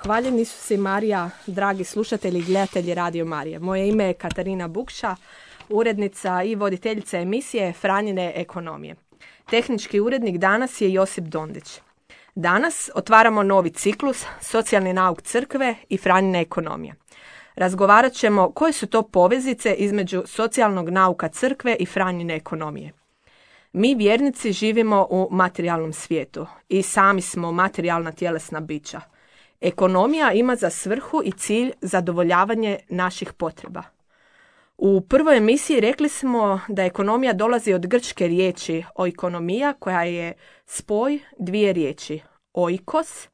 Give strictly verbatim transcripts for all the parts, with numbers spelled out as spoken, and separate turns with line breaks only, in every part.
Hvaljeni su si Marija, dragi slušatelji i gledatelji Radio Marije. Moje ime je Katarina Bukša, urednica i voditeljica emisije Franjine ekonomije. Tehnički urednik danas je Josip Dondić. Danas otvaramo novi ciklus Socijalni nauk crkve i Franjine ekonomije. Razgovarat ćemo koje su to poveznice između socijalnog nauka crkve i Franjine ekonomije. Mi vjernici živimo u materijalnom svijetu i sami smo materijalna tjelesna bića. Ekonomija ima za svrhu i cilj zadovoljavanje naših potreba. U prvoj emisiji rekli smo da ekonomija dolazi od grčke riječi oikonomija, koja je spoj dvije riječi. Oikos,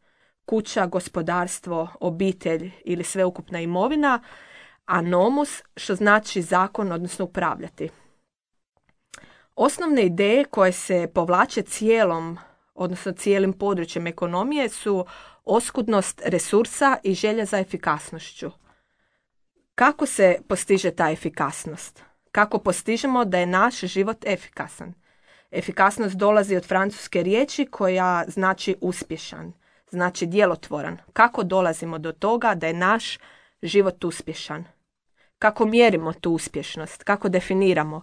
kuća, gospodarstvo, obitelj ili sveukupna imovina, a nomus, što znači zakon, odnosno upravljati. Osnovne ideje koje se povlače cijelom, odnosno cijelim područjem ekonomije su oskudnost resursa i želja za efikasnošću. Kako se postiže ta efikasnost? Kako postižemo da je naš život efikasan? Efikasnost dolazi od francuske riječi koja znači uspješan, znači djelotvoran. Kako dolazimo do toga da je naš život uspješan? Kako mjerimo tu uspješnost? Kako definiramo?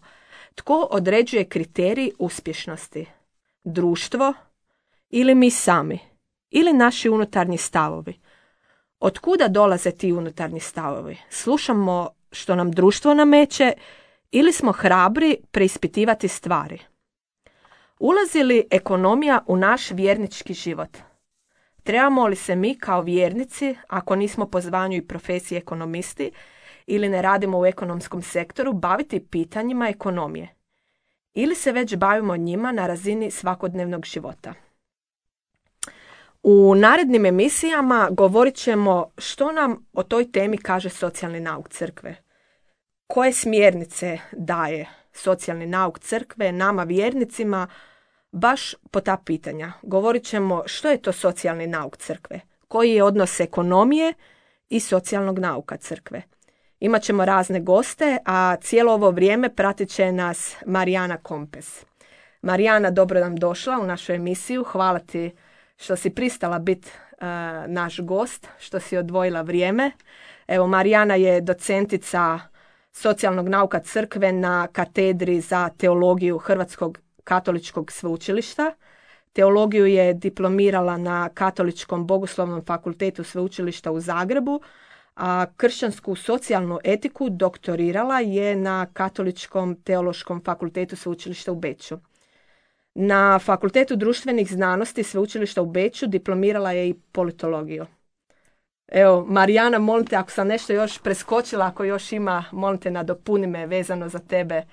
Tko određuje kriterij uspješnosti? Društvo ili mi sami? Ili naši unutarnji stavovi? Od kuda dolaze ti unutarnji stavovi? Slušamo što nam društvo nameće ili smo hrabri preispitivati stvari? Ulazi li ekonomija u naš vjernički život? Trebamo li se mi kao vjernici, ako nismo po zvanju i profesiji ekonomisti ili ne radimo u ekonomskom sektoru, baviti pitanjima ekonomije? Ili se već bavimo njima na razini svakodnevnog života? U narednim emisijama govorit ćemo što nam o toj temi kaže socijalni nauk crkve. Koje smjernice daje socijalni nauk crkve nama vjernicima baš po ta pitanja. Govorit ćemo što je to socijalni nauk crkve, koji je odnos ekonomije i socijalnog nauka crkve. Imaćemo razne goste, a cijelo ovo vrijeme pratit će nas Marijana Kompes. Marijana, dobro nam došla u našu emisiju. Hvala ti što si pristala biti uh, naš gost, što si odvojila vrijeme. Evo, Marijana je docentica socijalnog nauka crkve na katedri za teologiju Hrvatskog katoličkog sveučilišta. Teologiju je diplomirala na Katoličkom bogoslovnom fakultetu sveučilišta u Zagrebu, a kršćansku socijalnu etiku doktorirala je na Katoličkom teološkom fakultetu sveučilišta u Beču. Na Fakultetu društvenih znanosti sveučilišta u Beču diplomirala je i politologiju. Evo, Marijana, molim te, ako sam nešto još preskočila, ako još ima, molim te, nadopuni me vezano za tebe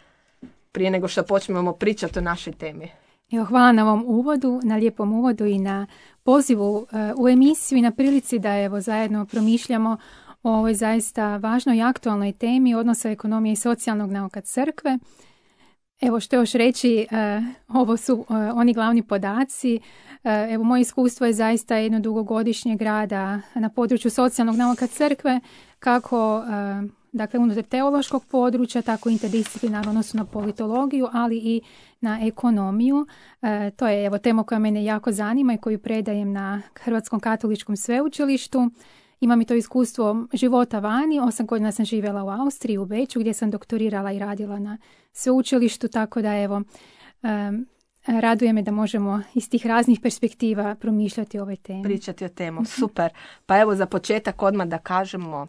prije nego što počnemo pričati o našoj temi.
Evo, hvala na ovom uvodu, na lijepom uvodu i na pozivu uh, u emisiju i na prilici da evo zajedno promišljamo o ovoj zaista važnoj i aktualnoj temi odnosa ekonomije i socijalnog nauka crkve. Evo što još reći, uh, ovo su uh, oni glavni podaci. Uh, evo moje iskustvo je zaista jedno dugogodišnjeg rada na području socijalnog nauka crkve, kako uh, dakle unutar teološkog područja, tako interdisciplinarno, odnosno na politologiju, ali i na ekonomiju. Uh, to je evo tema koja mene jako zanima i koju predajem na Hrvatskom katoličkom sveučilištu. Imam i to iskustvo života vani, osam godina sam živjela u Austriji, u Beču, gdje sam doktorirala i radila na sveučilištu, tako da evo, um, raduje me da možemo iz tih raznih perspektiva promišljati o ovoj temi.
Pričati o temu, super. Pa evo za početak odmah da kažemo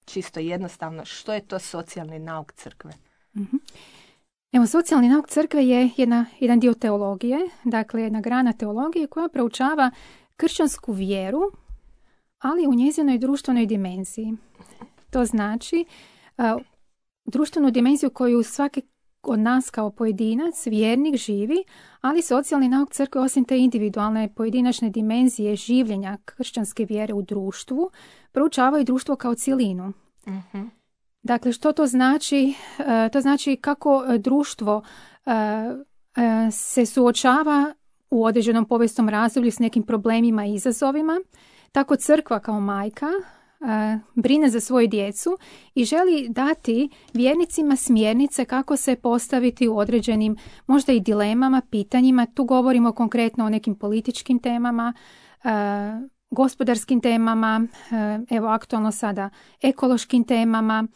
čisto jednostavno što je to socijalni nauk crkve.
Uh-huh. Evo, socijalni nauk crkve je jedna, jedan dio teologije, dakle jedna grana teologije koja proučava kršćansku vjeru, ali u njezinoj društvenoj dimenziji. To znači uh, društvenu dimenziju koju svaki od nas kao pojedinac, vjernik živi, ali socijalni nauk crkve osim te individualne pojedinačne dimenzije življenja kršćanske vjere u društvu, proučava i društvo kao cjelinu. Uh-huh. Dakle, što to znači? Uh, to znači kako društvo uh, uh, se suočava u određenom povijesnom razdoblju s nekim problemima i izazovima. Tako crkva kao majka uh, brine za svoju djecu i želi dati vjernicima smjernice kako se postaviti u određenim možda i dilemama, pitanjima. Tu govorimo konkretno o nekim političkim temama, uh, gospodarskim temama, evo aktualno sada ekološkim temama.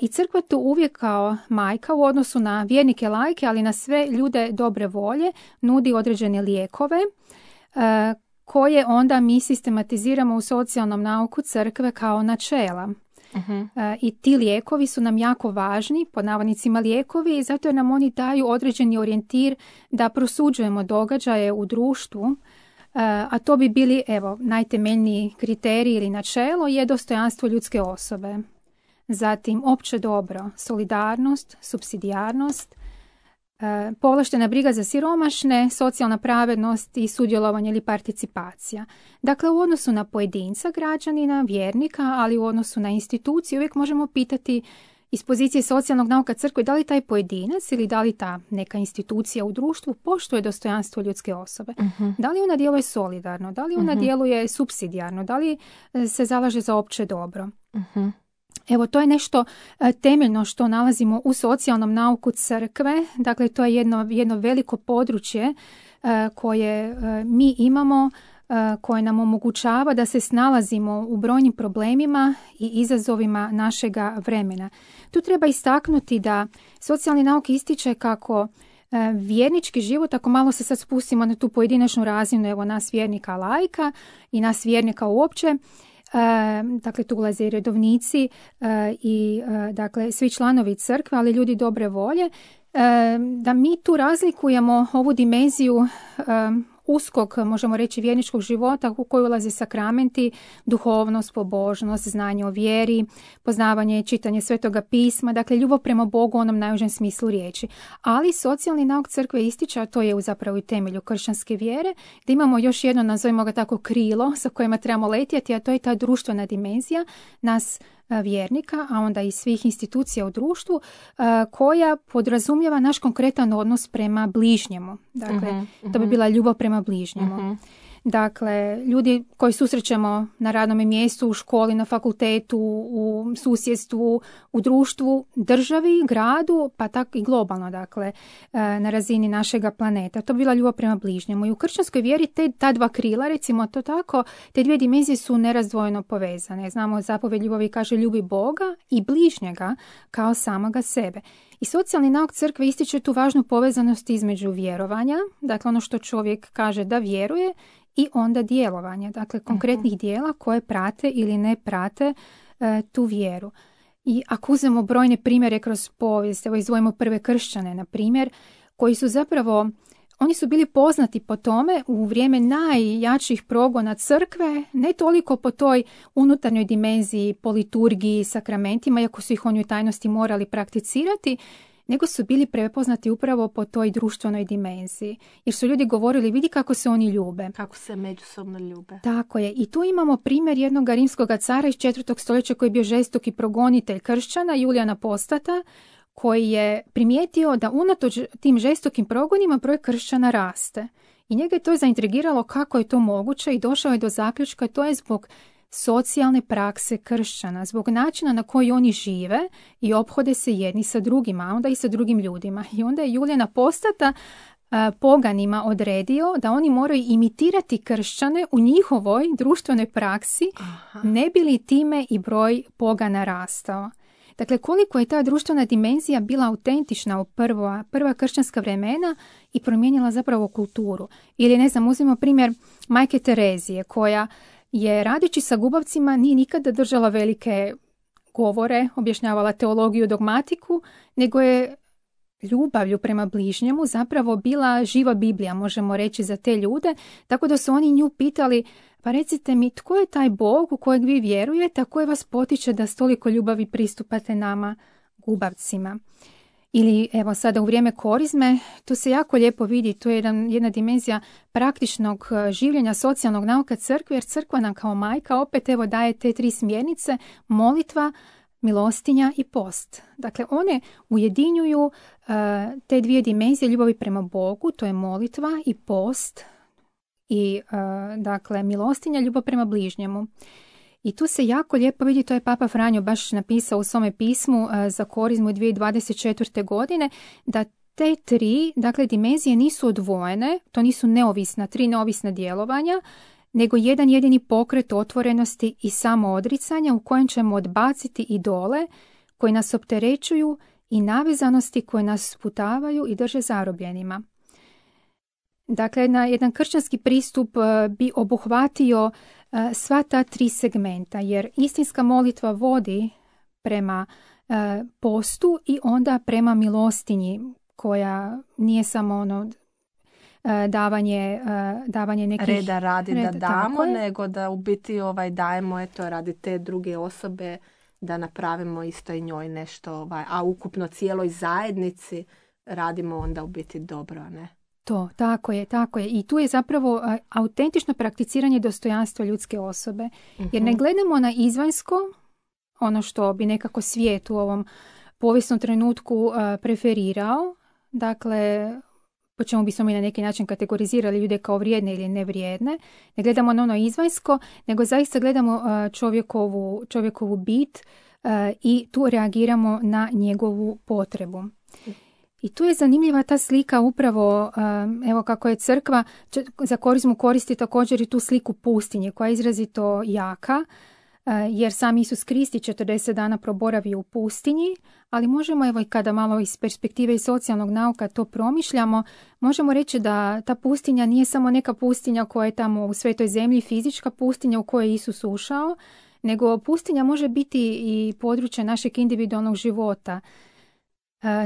I crkva tu uvijek kao majka u odnosu na vjernike lajke, ali na sve ljude dobre volje, nudi određene lijekove koje onda mi sistematiziramo u socijalnom nauku crkve kao načela. Uh-huh. I ti lijekovi su nam jako važni, pod navodnicima lijekovi, zato jer nam oni daju određeni orijentir da prosuđujemo događaje u društvu, a to bi bili, evo, najtemeljniji kriterij ili načelo je dostojanstvo ljudske osobe. Zatim opće dobro, solidarnost, supsidijarnost, povlaštena briga za siromašne, socijalna pravednost i sudjelovanje ili participacija. Dakle, u odnosu na pojedinca, građanina, vjernika, ali u odnosu na instituciju uvijek možemo pitati iz pozicije socijalnog nauka crkve da li taj pojedinac ili da li ta neka institucija u društvu poštuje dostojanstvo ljudske osobe. Uh-huh. Da li ona djeluje solidarno, da li ona uh-huh. djeluje supsidijarno, da li se zalaže za opće dobro. Uh-huh. Evo, to je nešto temeljno što nalazimo u socijalnom nauku crkve. Dakle, to je jedno, jedno veliko područje koje mi imamo, koje nam omogućava da se snalazimo u brojnim problemima i izazovima našega vremena. Tu treba istaknuti da socijalni nauk ističe kako vjernički život, ako malo se sad spustimo na tu pojedinačnu razinu, evo nas vjernika laika i nas vjernika uopće, dakle tu ulaze i redovnici i dakle svi članovi crkve, ali ljudi dobre volje, da mi tu razlikujemo ovu dimenziju uskog, možemo reći, vjerničkog života u koji ulaze sakramenti, duhovnost, pobožnost, znanje o vjeri, poznavanje i čitanje Svetoga pisma, dakle ljubav prema Bogu u onom najužem smislu riječi. Ali socijalni nauk crkve ističe, a to je zapravo i temelju kršćanske vjere, da imamo još jedno, nazovimo ga tako, krilo sa kojima trebamo letjeti, a to je ta društvena dimenzija nas vjernika, a onda i svih institucija u društvu, koja podrazumijeva naš konkretan odnos prema bližnjemu. Dakle, uh-huh, to bi bila ljubav prema bližnjemu. Uh-huh. Dakle, ljudi koji susrećemo na radnom mjestu, u školi, na fakultetu, u susjedstvu, u društvu, državi, gradu, pa tako i globalno, dakle, na razini našega planeta. To bi bila ljubav prema bližnjemu. I u kršćanskoj vjeri te, ta dva krila, recimo to tako, te dvije dimenzije su nerazdvojeno povezane. Znamo, zapovjed ljubavi kaže ljubi Boga i bližnjega kao samoga sebe. I socijalni nauk crkve ističe tu važnu povezanost između vjerovanja, dakle ono što čovjek kaže da vjeruje, i onda djelovanja, dakle konkretnih dijela koje prate ili ne prate e, tu vjeru. I ako uzmemo brojne primjere kroz povijest, evo izdvojimo prve kršćane, na primjer, koji su zapravo, oni su bili poznati po tome u vrijeme najjačih progona crkve, ne toliko po toj unutarnjoj dimenziji, po liturgiji, sakramentima, iako su ih oni u tajnosti morali prakticirati, nego su bili prepoznati upravo po toj društvenoj dimenziji. Jer su ljudi govorili, vidi kako se oni ljube.
Kako se međusobno ljube.
Tako je. I tu imamo primjer jednog rimskog cara iz četvrtog stoljeća koji je bio žestoki progonitelj kršćana, Julijan Apostata, koji je primijetio da unatoč tim žestokim progonima broj kršćana raste. I njega je to zaintrigiralo kako je to moguće i došao je do zaključka, to je zbog socijalne prakse kršćana, zbog načina na koji oni žive i ophode se jedni sa drugima, a onda i sa drugim ljudima. I onda je Julijan Apostata a, poganima odredio da oni moraju imitirati kršćane u njihovoj društvenoj praksi, aha, ne bi li time i broj pogana rastao. Dakle, koliko je ta društvena dimenzija bila autentična u prva, prva kršćanska vremena i promijenila zapravo kulturu. Ili, ne znam, uzmimo primjer majke Terezije, koja je radeći sa gubavcima nije nikada držala velike govore, objašnjavala teologiju, dogmatiku, nego je ljubavlju prema bližnjemu zapravo bila živa Biblija, možemo reći, za te ljude, tako da su oni nju pitali, pa recite mi, tko je taj Bog u kojeg vi vjerujete, a koji vas potiče da s toliko ljubavi pristupate nama gubavcima? Ili evo sada u vrijeme korizme, tu se jako lijepo vidi, tu je jedan, jedna dimenzija praktičnog življenja socijalnog nauka crkve, jer crkva nam kao majka opet evo daje te tri smjernice, molitva, milostinja i post. Dakle, one ujedinjuju uh, te dvije dimenzije ljubavi prema Bogu, to je molitva i post, i uh, dakle milostinja, ljubav prema bližnjemu. I tu se jako lijepo vidi, to je Papa Franjo baš napisao u svome pismu uh, za korizmu dvije tisuće dvadeset četvrte. godine, da te tri, dakle, dimenzije nisu odvojene, to nisu neovisna, tri neovisna djelovanja, nego jedan jedini pokret otvorenosti i samoodricanja u kojem ćemo odbaciti idole koji nas opterećuju i navezanosti koje nas sputavaju i drže zarobljenima. Dakle, na jedan kršćanski pristup bi obuhvatio sva ta tri segmenta, jer istinska molitva vodi prema postu i onda prema milostinji, koja nije samo ono davanje, davanje nekih
reda radi
reda,
da damo, nego da u biti ovaj dajemo eto radi te druge osobe, da napravimo isto i njoj nešto, ovaj, a ukupno cijeloj zajednici radimo onda u biti dobro, ne?
To, tako je, tako je. I tu je zapravo a, autentično prakticiranje dostojanstva ljudske osobe. Uh-huh. Jer ne gledamo na izvanjsko, ono što bi nekako svijet u ovom povijesnom trenutku a, preferirao. Dakle, po čemu bismo mi na neki način kategorizirali ljude kao vrijedne ili nevrijedne. Ne gledamo na ono izvanjsko, nego zaista gledamo a, čovjekovu, čovjekovu bit a, i tu reagiramo na njegovu potrebu. I tu je zanimljiva ta slika upravo, evo kako je crkva za korizmu koristi također i tu sliku pustinje koja je izrazito jaka, jer sam Isus Krist četrdeset dana proboravio u pustinji, ali možemo, evo i kada malo iz perspektive i socijalnog nauka to promišljamo, možemo reći da ta pustinja nije samo neka pustinja koja je tamo u Svetoj zemlji, fizička pustinja u kojoj je Isus ušao, nego pustinja može biti i područje našeg individualnog života.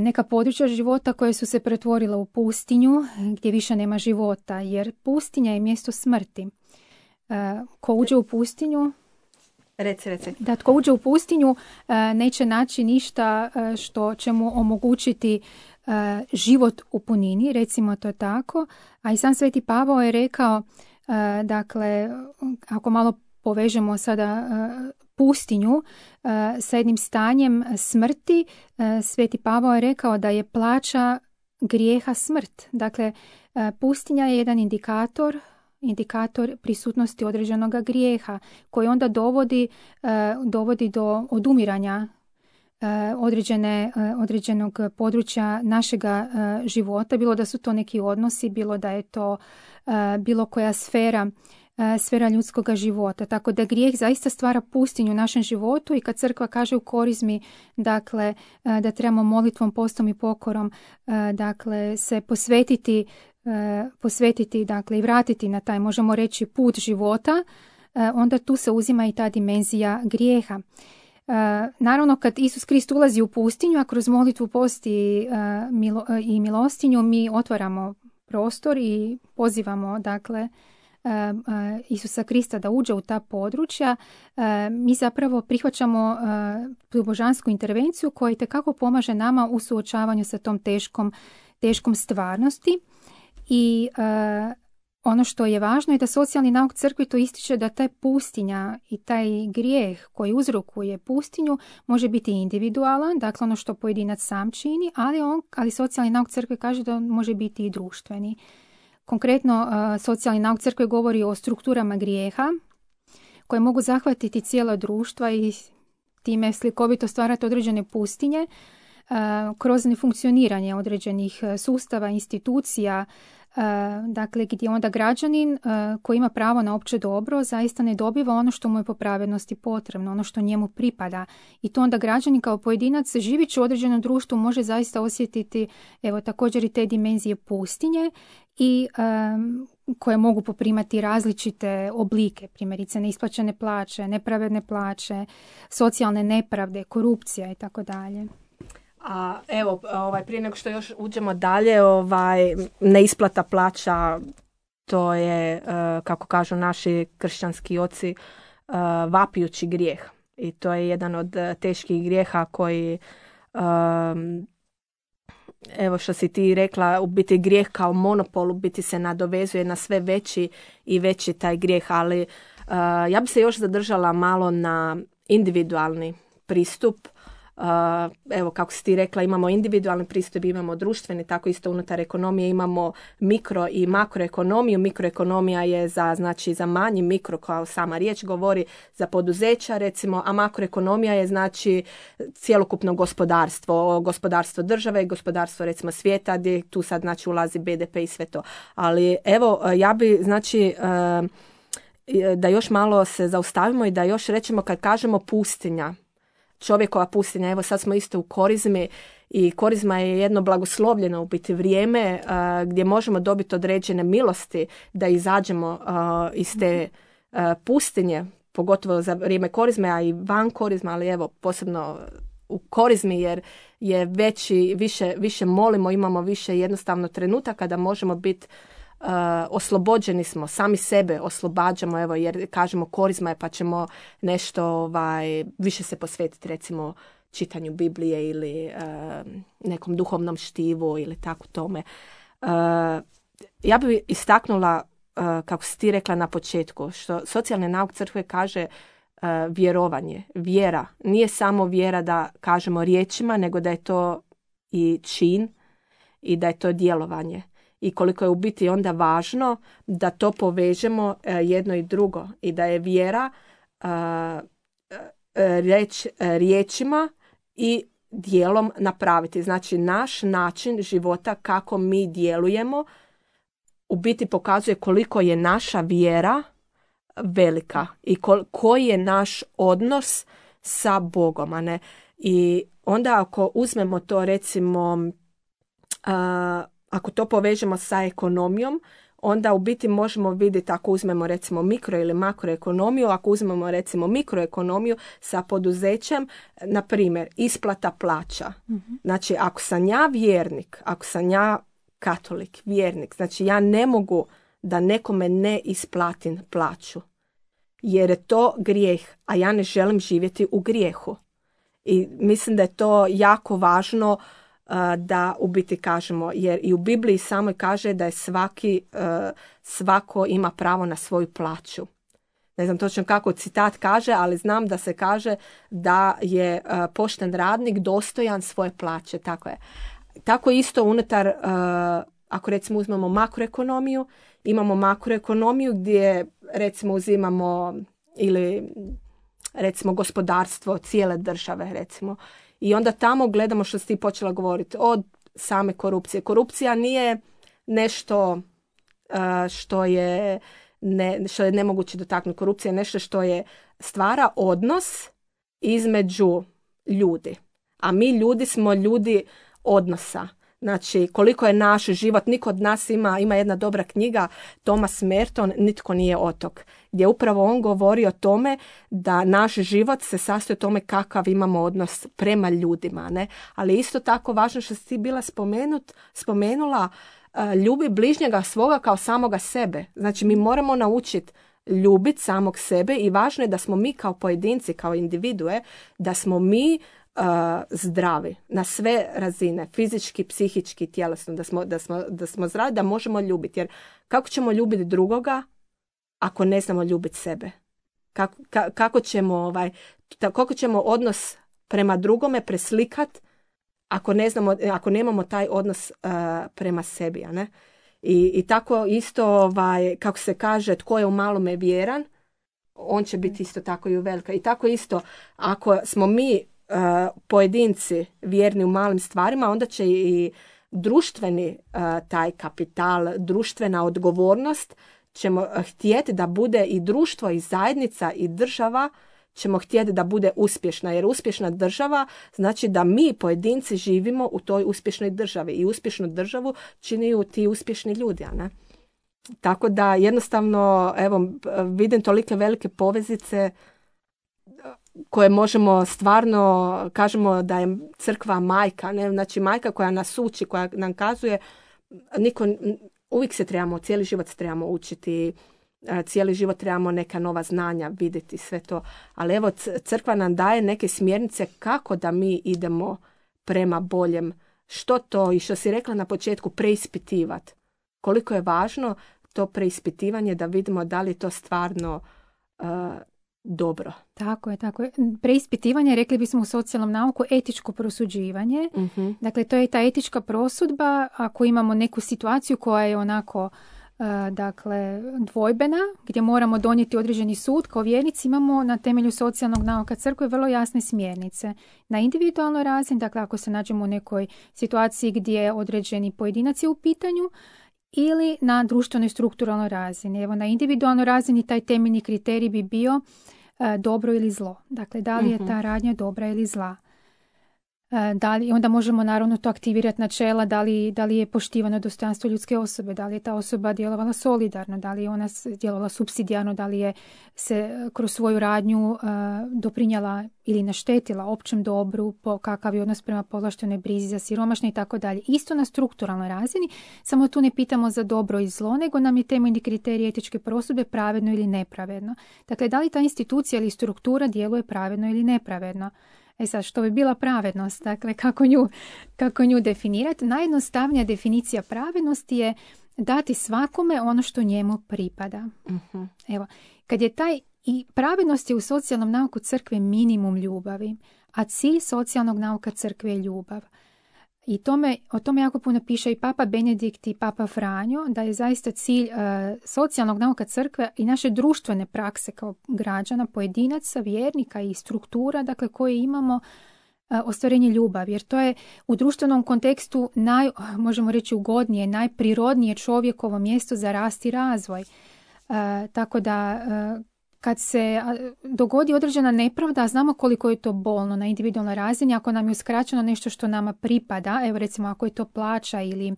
Neka područja života koje su se pretvorila u pustinju, gdje više nema života, jer pustinja je mjesto smrti. Ko uđe u pustinju,
reci, reci.
Da, tko uđe u pustinju neće naći ništa što će mu omogućiti život u punini, recimo to tako. A i sam Sveti Pavao je rekao, dakle, ako malo povežemo sada pustinju uh, sa jednim stanjem smrti, uh, Sveti Pavao je rekao da je plaća grijeha smrt. Dakle, uh, pustinja je jedan indikator, indikator prisutnosti određenog grijeha koji onda dovodi, uh, dovodi do odumiranja uh, određene, uh, određenog područja našega uh, života, bilo da su to neki odnosi, bilo da je to uh, bilo koja sfera sfera ljudskog života. Tako da grijeh zaista stvara pustinju u našem životu i kad crkva kaže u korizmi, dakle, da trebamo molitvom, postom i pokorom, dakle, se posvetiti, posvetiti, dakle, i vratiti na taj, možemo reći, put života, onda tu se uzima i ta dimenzija grijeha. Naravno, kad Isus Krist ulazi u pustinju, a kroz molitvu, post i, milo, i milostinju, mi otvaramo prostor i pozivamo, dakle, Isusa Krista da uđe u ta područja, mi zapravo prihvaćamo tu božansku intervenciju koja itekako pomaže nama u suočavanju sa tom teškom, teškom stvarnosti. I ono što je važno je da socijalni nauk crkvi to ističe da taj pustinja i taj grijeh koji uzrokuje pustinju može biti individualan, dakle ono što pojedinac sam čini, ali, on, ali socijalni nauk crkve kaže da on može biti i društveni. Konkretno, socijalni nauk crkve govori o strukturama grijeha koje mogu zahvatiti cijela društva i time slikovito stvarati određene pustinje kroz nefunkcioniranje određenih sustava, institucija, dakle gdje onda građanin koji ima pravo na opće dobro zaista ne dobiva ono što mu je po pravednosti potrebno, ono što njemu pripada. I to onda građanin kao pojedinac živeći u određenom društvu može zaista osjetiti, evo, također i te dimenzije pustinje i um, koje mogu poprimati različite oblike, primjerice neisplaćene plaće, nepravedne plaće, socijalne nepravde, korupcija i tako dalje.
A evo, ovaj, prije nego što još uđemo dalje, ovaj, neisplata plaća, to je, kako kažu naši kršćanski oci, vapijući grijeh. I to je jedan od teških grijeha koji, evo što si ti rekla, u biti grijeh kao monopol, u biti se nadovezuje na sve veći i veći taj grijeh, ali ja bi se još zadržala malo na individualni pristup. Uh, evo kako si ti rekla, imamo individualni pristup, imamo društveni, tako isto unutar ekonomije imamo mikro i makroekonomiju. Mikroekonomija je za, znači, za manji, mikro kao sama riječ govori za poduzeća recimo, a makroekonomija je znači cjelokupno gospodarstvo, gospodarstvo države i gospodarstvo recimo svijeta gdje tu sad znači ulazi be de pe i sve to. Ali evo ja bi znači uh, da još malo se zaustavimo i da još rečemo kad kažemo pustinja, čovjekova pustinja, evo sad smo isto u korizmi i korizma je jedno blagoslovljeno u biti vrijeme uh, gdje možemo dobiti određene milosti da izađemo uh, iz te uh, pustinje, pogotovo za vrijeme korizme, a i van korizma, ali evo posebno u korizmi jer je veći, više, više molimo, imamo više jednostavno trenutaka da možemo biti Uh, oslobođeni smo, sami sebe oslobađamo, evo, jer kažemo korizma je pa ćemo nešto ovaj, više se posvetiti recimo čitanju Biblije ili uh, nekom duhovnom štivu ili tako tome. Uh, ja bih istaknula, uh, kako si ti rekla na početku, što socijalni nauk crkve kaže uh, vjerovanje, vjera. Nije samo vjera da kažemo riječima, nego da je to i čin i da je to djelovanje. I koliko je u biti onda važno da to povežemo jedno i drugo i da je vjera uh, reč, riječima i djelom napraviti. Znači naš način života kako mi djelujemo u biti pokazuje koliko je naša vjera velika i kol, koji je naš odnos sa Bogom. A ne? I onda ako uzmemo to recimo uh, ako to povežemo sa ekonomijom, onda u biti možemo vidjeti ako uzmemo recimo mikro ili makroekonomiju, ako uzmemo recimo mikroekonomiju sa poduzećem, na primjer isplata plaća. Mm-hmm. Znači ako sam ja vjernik, ako sam ja katolik, vjernik, znači ja ne mogu da nekome ne isplatim plaću, jer je to grijeh, a ja ne želim živjeti u grijehu. I mislim da je to jako važno da u biti kažemo, jer i u Bibliji samoj kaže da je svaki, svako ima pravo na svoju plaću. Ne znam točno kako citat kaže, ali znam da se kaže da je pošten radnik dostojan svoje plaće. Tako je. Tako isto unutar, ako recimo uzmemo makroekonomiju, imamo makroekonomiju gdje recimo uzimamo ili recimo gospodarstvo cijele države recimo. I onda tamo gledamo što si ti počela govoriti od same korupcije. Korupcija nije nešto uh, što je, ne, što je nemoguće dotaknuti. Korupcija je nešto što je stvara odnos između ljudi. A mi ljudi smo ljudi odnosa. Znači, koliko je naš život, niko od nas ima, ima jedna dobra knjiga, Thomas Merton, Nitko nije otok, gdje upravo on govori o tome da naš život se sastoji o tome kakav imamo odnos prema ljudima, ne? Ali isto tako važno što si ti bila spomenut, spomenula, uh, ljubi bližnjega svoga kao samoga sebe. Znači, mi moramo naučiti ljubiti samog sebe i važno je da smo mi kao pojedinci, kao individue, da smo mi Uh, zdravi na sve razine, fizički, psihički, tjelesno, da smo, da smo, da smo zdravi, da možemo ljubiti. Jer kako ćemo ljubiti drugoga ako ne znamo ljubiti sebe? Kako, ka, kako, ćemo, ovaj, kako ćemo odnos prema drugome preslikat ako ne znamo, ako nemamo taj odnos uh, prema sebi, a ne? I, i tako isto, ovaj, kako se kaže, tko je u malome vjeran, on će biti isto tako i u velika. I tako isto, ako smo mi Uh, pojedinci vjerni u malim stvarima, onda će i društveni uh, taj kapital, društvena odgovornost ćemo htjeti da bude i društvo i zajednica i država ćemo htjeti da bude uspješna, jer uspješna država znači da mi pojedinci živimo u toj uspješnoj državi i uspješnu državu činiju ti uspješni ljudi, a ne? Tako da jednostavno, evo, vidim tolike velike povezice koje možemo stvarno, kažemo da je crkva majka, ne? Znači majka koja nas uči, koja nam kazuje, niko, uvijek se trebamo, cijeli život se trebamo učiti, cijeli život trebamo neka nova znanja vidjeti, sve to. Ali evo, crkva nam daje neke smjernice kako da mi idemo prema boljem. Što to, i što si rekla na početku, preispitivati. Koliko je važno to preispitivanje da vidimo da li je to stvarno uh, dobro.
Tako je, tako je. Preispitivanje, rekli bismo u socijalnom nauku, etičko prosuđivanje. Uh-huh. Dakle, to je ta etička prosudba ako imamo neku situaciju koja je onako uh, dakle, dvojbena, gdje moramo donijeti određeni sud. Kao vjernici imamo na temelju socijalnog nauka crkve vrlo jasne smjernice. Na individualnoj razini, dakle ako se nađemo u nekoj situaciji gdje određeni pojedinac je u pitanju, ili na društvenoj strukturalnoj razini. Evo, na individualnoj razini taj temeljni kriterij bi bio e, dobro ili zlo. Dakle, da li je ta radnja dobra ili zla. E, da li, onda možemo naravno to aktivirati načela da li, da li je poštivano dostojanstvo ljudske osobe, da li je ta osoba djelovala solidarno, da li je ona djelovala supsidijarno, da li je se kroz svoju radnju e, doprinjela ili naštetila općem dobru, po kakav je odnos prema povlaštenoj brizi za siromašne i tako dalje. Isto na strukturalnoj razini, samo tu ne pitamo za dobro i zlo, nego nam je temeljni kriterij etičke prosudbe pravedno ili nepravedno. Dakle, da li ta institucija ili struktura djeluje pravedno ili nepravedno. E sad, što bi bila pravednost? Dakle, kako nju, kako nju definirati? Najjednostavnija definicija pravednosti je dati svakome ono što njemu pripada. Uh-huh. Evo, kad je taj, i pravednost je u socijalnom nauku crkve minimum ljubavi, a cilj socijalnog nauka crkve je ljubav. I tome, o tome jako puno piše i Papa Benedikt i Papa Franjo, da je zaista cilj uh, socijalnog nauka crkve i naše društvene prakse kao građana, pojedinaca, vjernika i struktura, dakle, koje imamo uh, ostvarenje ljubavi. Jer to je u društvenom kontekstu naj, možemo reći ugodnije, najprirodnije čovjekovo mjesto za rast i razvoj. Uh, tako da uh, kad se dogodi određena nepravda, znamo koliko je to bolno na individualnoj razini, ako nam je uskraćeno nešto što nama pripada, evo recimo ako je to plaća ili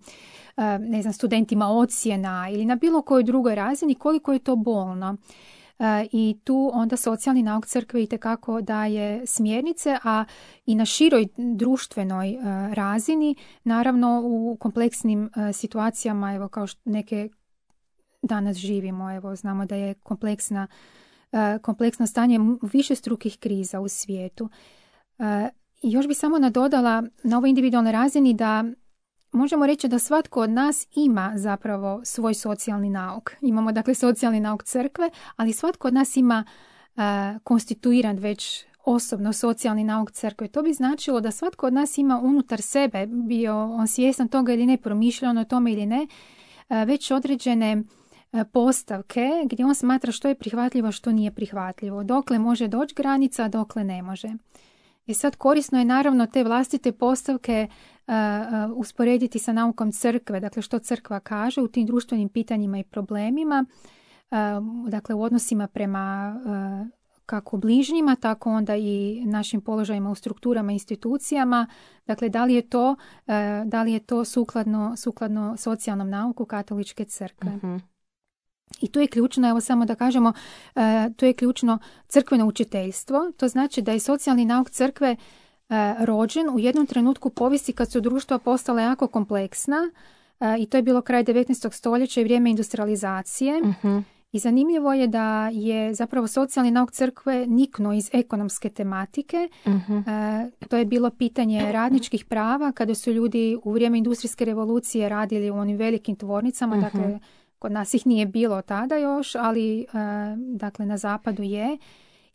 ne znam, studentima ocjena ili na bilo kojoj drugoj razini, koliko je to bolno. I tu onda socijalni nauk crkve itekako daje smjernice, a i na široj društvenoj razini, naravno u kompleksnim situacijama, evo kao što neke danas živimo, evo znamo da je kompleksna kompleksno stanje višestrukih kriza u svijetu. I još bi samo nadodala na ovoj individualnoj razini da možemo reći da svatko od nas ima zapravo svoj socijalni nauk. Imamo dakle socijalni nauk crkve, ali svatko od nas ima konstituiran već osobno socijalni nauk crkve. To bi značilo da svatko od nas ima unutar sebe, bio on svjestan toga ili ne, promišljao o tome ili ne, već određene postavke gdje on smatra što je prihvatljivo, što nije prihvatljivo. Dokle može doći granica, a dokle ne može. I sad korisno je naravno te vlastite postavke uh, uh, usporediti sa naukom crkve, dakle što crkva kaže u tim društvenim pitanjima i problemima, uh, dakle u odnosima prema uh, kako bližnjima, tako onda i našim položajima u strukturama i institucijama. Dakle, da li je to, uh, da li je to sukladno, sukladno socijalnom nauku katoličke crkve. Uh-huh. I tu je ključno, evo samo da kažemo, uh, tu je ključno crkveno učiteljstvo. To znači da je socijalni nauk crkve uh, rođen u jednom trenutku povijesti kad su društva postala jako kompleksna uh, i to je bilo kraj devetnaestog stoljeća i vrijeme industrializacije. Uh-huh. I zanimljivo je da je zapravo socijalni nauk crkve niknuo iz ekonomske tematike. Uh-huh. Uh, to je bilo pitanje radničkih prava kada su ljudi u vrijeme industrijske revolucije radili u onim velikim tvornicama, uh-huh. dakle kod nas ih nije bilo tada još, ali uh, dakle na zapadu je,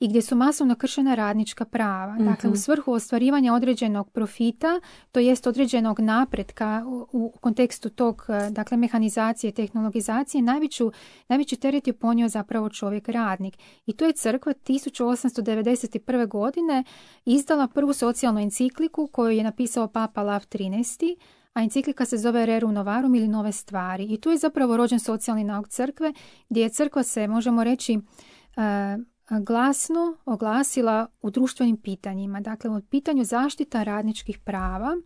i gdje su masovno kršena radnička prava. Mm-hmm. Dakle, u svrhu ostvarivanja određenog profita, to jest određenog napretka u, u kontekstu tog, dakle, mehanizacije, tehnologizacije, najveću, najveći teret je ponio zapravo čovjek radnik. I to je crkva tisuću osamsto devedeset prve. godine izdala prvu socijalnu encikliku koju je napisao Papa Lav trinaesti. A enciklika se zove Rerum Novarum ili Nove stvari. I tu je zapravo rođen socijalni nauk crkve, gdje je crkva se, možemo reći, glasno oglasila u društvenim pitanjima. Dakle, u pitanju zaštita radničkih prava,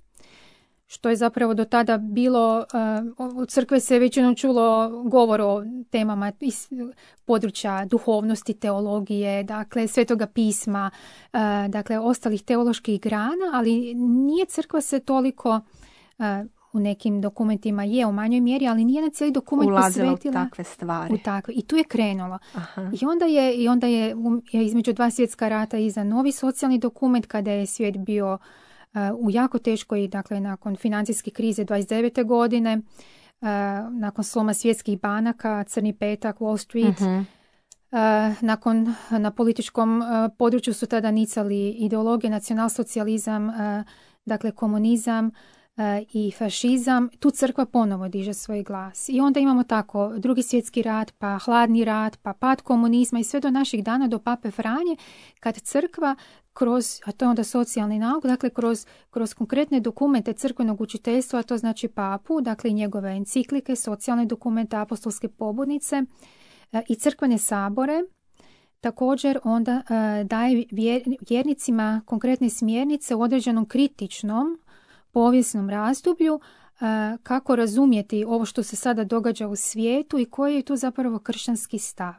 što je zapravo do tada bilo, u crkve se većinom čulo govor o temama iz područja duhovnosti, teologije, dakle, svetoga pisma, dakle, ostalih teoloških grana, ali nije crkva se toliko u nekim dokumentima je u manjoj mjeri, ali nije na cijeli dokument
ulazila
posvetila
u takve stvari.
U takve. I tu je krenulo. Aha. I onda je, i onda je, je između dva svjetska rata iza novi socijalni dokument kada je svijet bio uh, u jako teškoj, dakle nakon financijske krize dvadeset devete. godine, uh, nakon sloma svjetskih banaka, Crni petak, Wall Street, uh-huh. uh, nakon na političkom uh, području su tada nicali ideologije, nacionalsocijalizam, uh, dakle komunizam, i fašizam, tu crkva ponovo diže svoj glas. I onda imamo tako Drugi svjetski rat, pa hladni rat, pa pad komunizma i sve do naših dana, do Pape Franje, kad crkva kroz, a to je onda socijalni nauk, dakle kroz, kroz konkretne dokumente crkvenog učiteljstva, to znači papu, dakle i njegove enciklike, socijalne dokumente, apostolske pobudnice i crkvene sabore, također onda daje vjernicima konkretne smjernice u određenom kritičnom povijesnom razdoblju kako razumjeti ovo što se sada događa u svijetu i koji je tu zapravo kršćanski stav.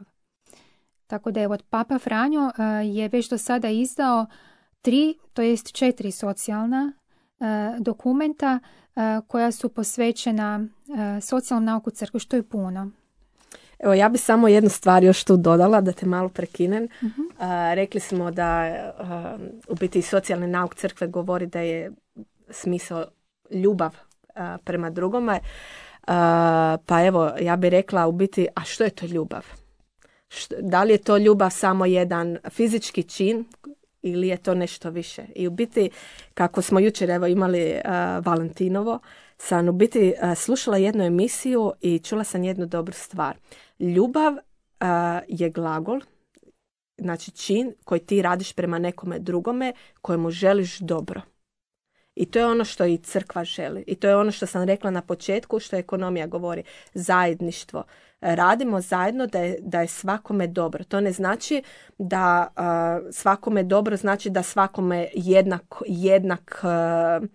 Tako da je od Papa Franjo je već do sada izdao tri, to jest četiri socijalna dokumenta koja su posvećena socijalnom nauku crkve, što je puno.
Evo, ja bi samo jednu stvar još tu dodala, da te malo prekinem.
Uh-huh.
Uh, rekli smo da uh, u biti socijalni nauk crkve govori da je smisao ljubav uh, prema drugome. Uh, pa evo, ja bih rekla u biti, a što je to ljubav? Što, da li je to ljubav samo jedan fizički čin ili je to nešto više? I u biti, kako smo jučer evo imali uh, Valentinovo, sam u biti uh, slušala jednu emisiju i čula sam jednu dobru stvar. Ljubav uh, je glagol, znači čin koji ti radiš prema nekome drugome kojemu želiš dobro. I to je ono što i crkva želi. I to je ono što sam rekla na početku, što ekonomija govori. Zajedništvo. Radimo zajedno da je, da je svakome dobro. To ne znači da uh, svakome dobro znači da svakome jednak, jednak uh,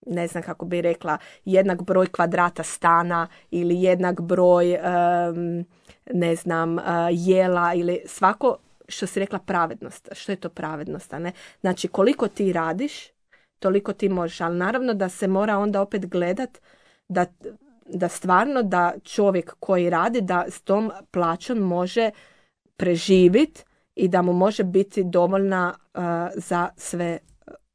ne znam kako bi rekla, jednak broj kvadrata stana ili jednak broj um, ne znam, uh, jela ili svako, što si rekla, pravednost. Što je to pravednost? A ne? Znači koliko ti radiš, toliko ti možeš, ali naravno da se mora onda opet gledat da, da stvarno da čovjek koji radi da s tom plaćom može preživjeti i da mu može biti dovoljna uh, za sve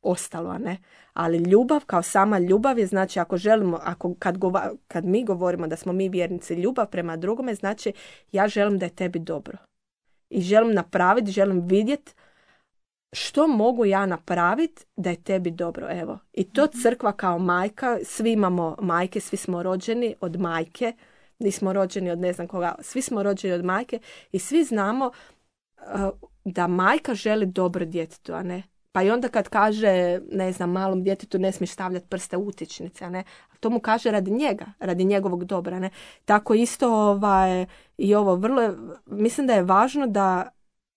ostalo, a ne. Ali ljubav kao sama ljubav je, znači ako želimo, ako kad, gova, kad mi govorimo da smo mi vjernici, ljubav prema drugome, znači ja želim da je tebi dobro. I želim napraviti, želim vidjeti što mogu ja napraviti da je tebi dobro, evo. I to crkva kao majka, svi imamo majke, svi smo rođeni od majke, nismo rođeni od ne znam koga, svi smo rođeni od majke i svi znamo uh, da majka želi dobro djetetu, a ne. Pa i onda kad kaže, ne znam, malom djetetu ne smiješ stavljati prste u utičnice, a ne. To mu kaže radi njega, radi njegovog dobra, ne. Tako isto ovaj, i ovo vrlo, mislim da je važno da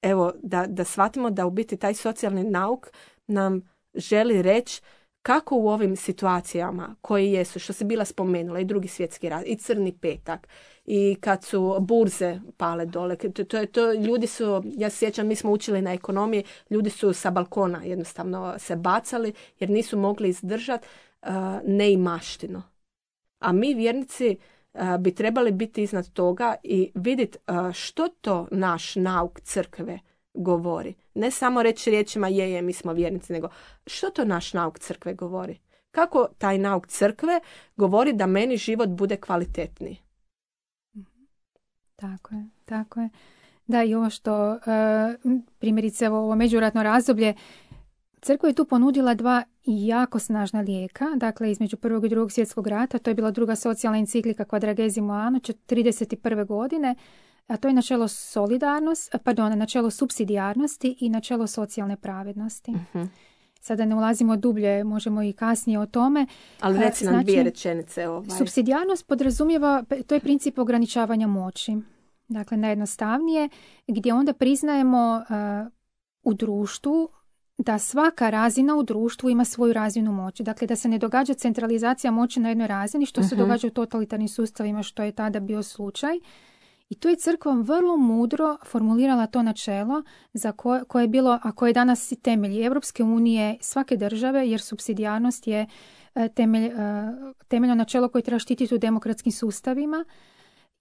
evo, da, da shvatimo da u biti taj socijalni nauk nam želi reći kako u ovim situacijama koji jesu, što se bila spomenula, i Drugi svjetski rat, i Crni petak, i kad su burze pale dole, to, to, to, ljudi su, ja se sjećam, mi smo učili na ekonomiji, ljudi su sa balkona jednostavno se bacali jer nisu mogli izdržati uh, neimaštinu. A mi vjernici uh, bi trebali biti iznad toga i vidjeti uh, što to naš nauk crkve govori. Ne samo reći riječima je, je, mi smo vjernici, nego što to naš nauk crkve govori. Kako taj nauk crkve govori da meni život bude kvalitetniji.
Tako je, tako je. Da, i ovo što, uh, primjerice ovo međuratno razdoblje, crkva je tu ponudila dva jako snažna lijeka, dakle između prvog i drugog svjetskog rata, to je bila druga socijalna enciklika Quadragesimo Anno, trideset prve godine, a to je načelo solidarnost, pardon, načelo supsidijarnosti i načelo socijalne pravednosti. Uh-huh. Sada ne ulazimo dublje, možemo i kasnije o tome.
Ali reci nam znači, dvije rečenice. Ovaj.
Supsidijarnost podrazumijeva, to je princip ograničavanja moći. Dakle, najjednostavnije, gdje onda priznajemo uh, u društvu da svaka razina u društvu ima svoju razinu moći. Dakle, da se ne događa centralizacija moći na jednoj razini, što uh-huh. se događa u totalitarnim sustavima, što je tada bio slučaj. I tu je crkva vrlo mudro formulirala to načelo za koje, koje je bilo, a koje je danas i temelj Europske unije, svake države, jer supsidijarnost je temelj, temeljno načelo koje treba štititi u demokratskim sustavima.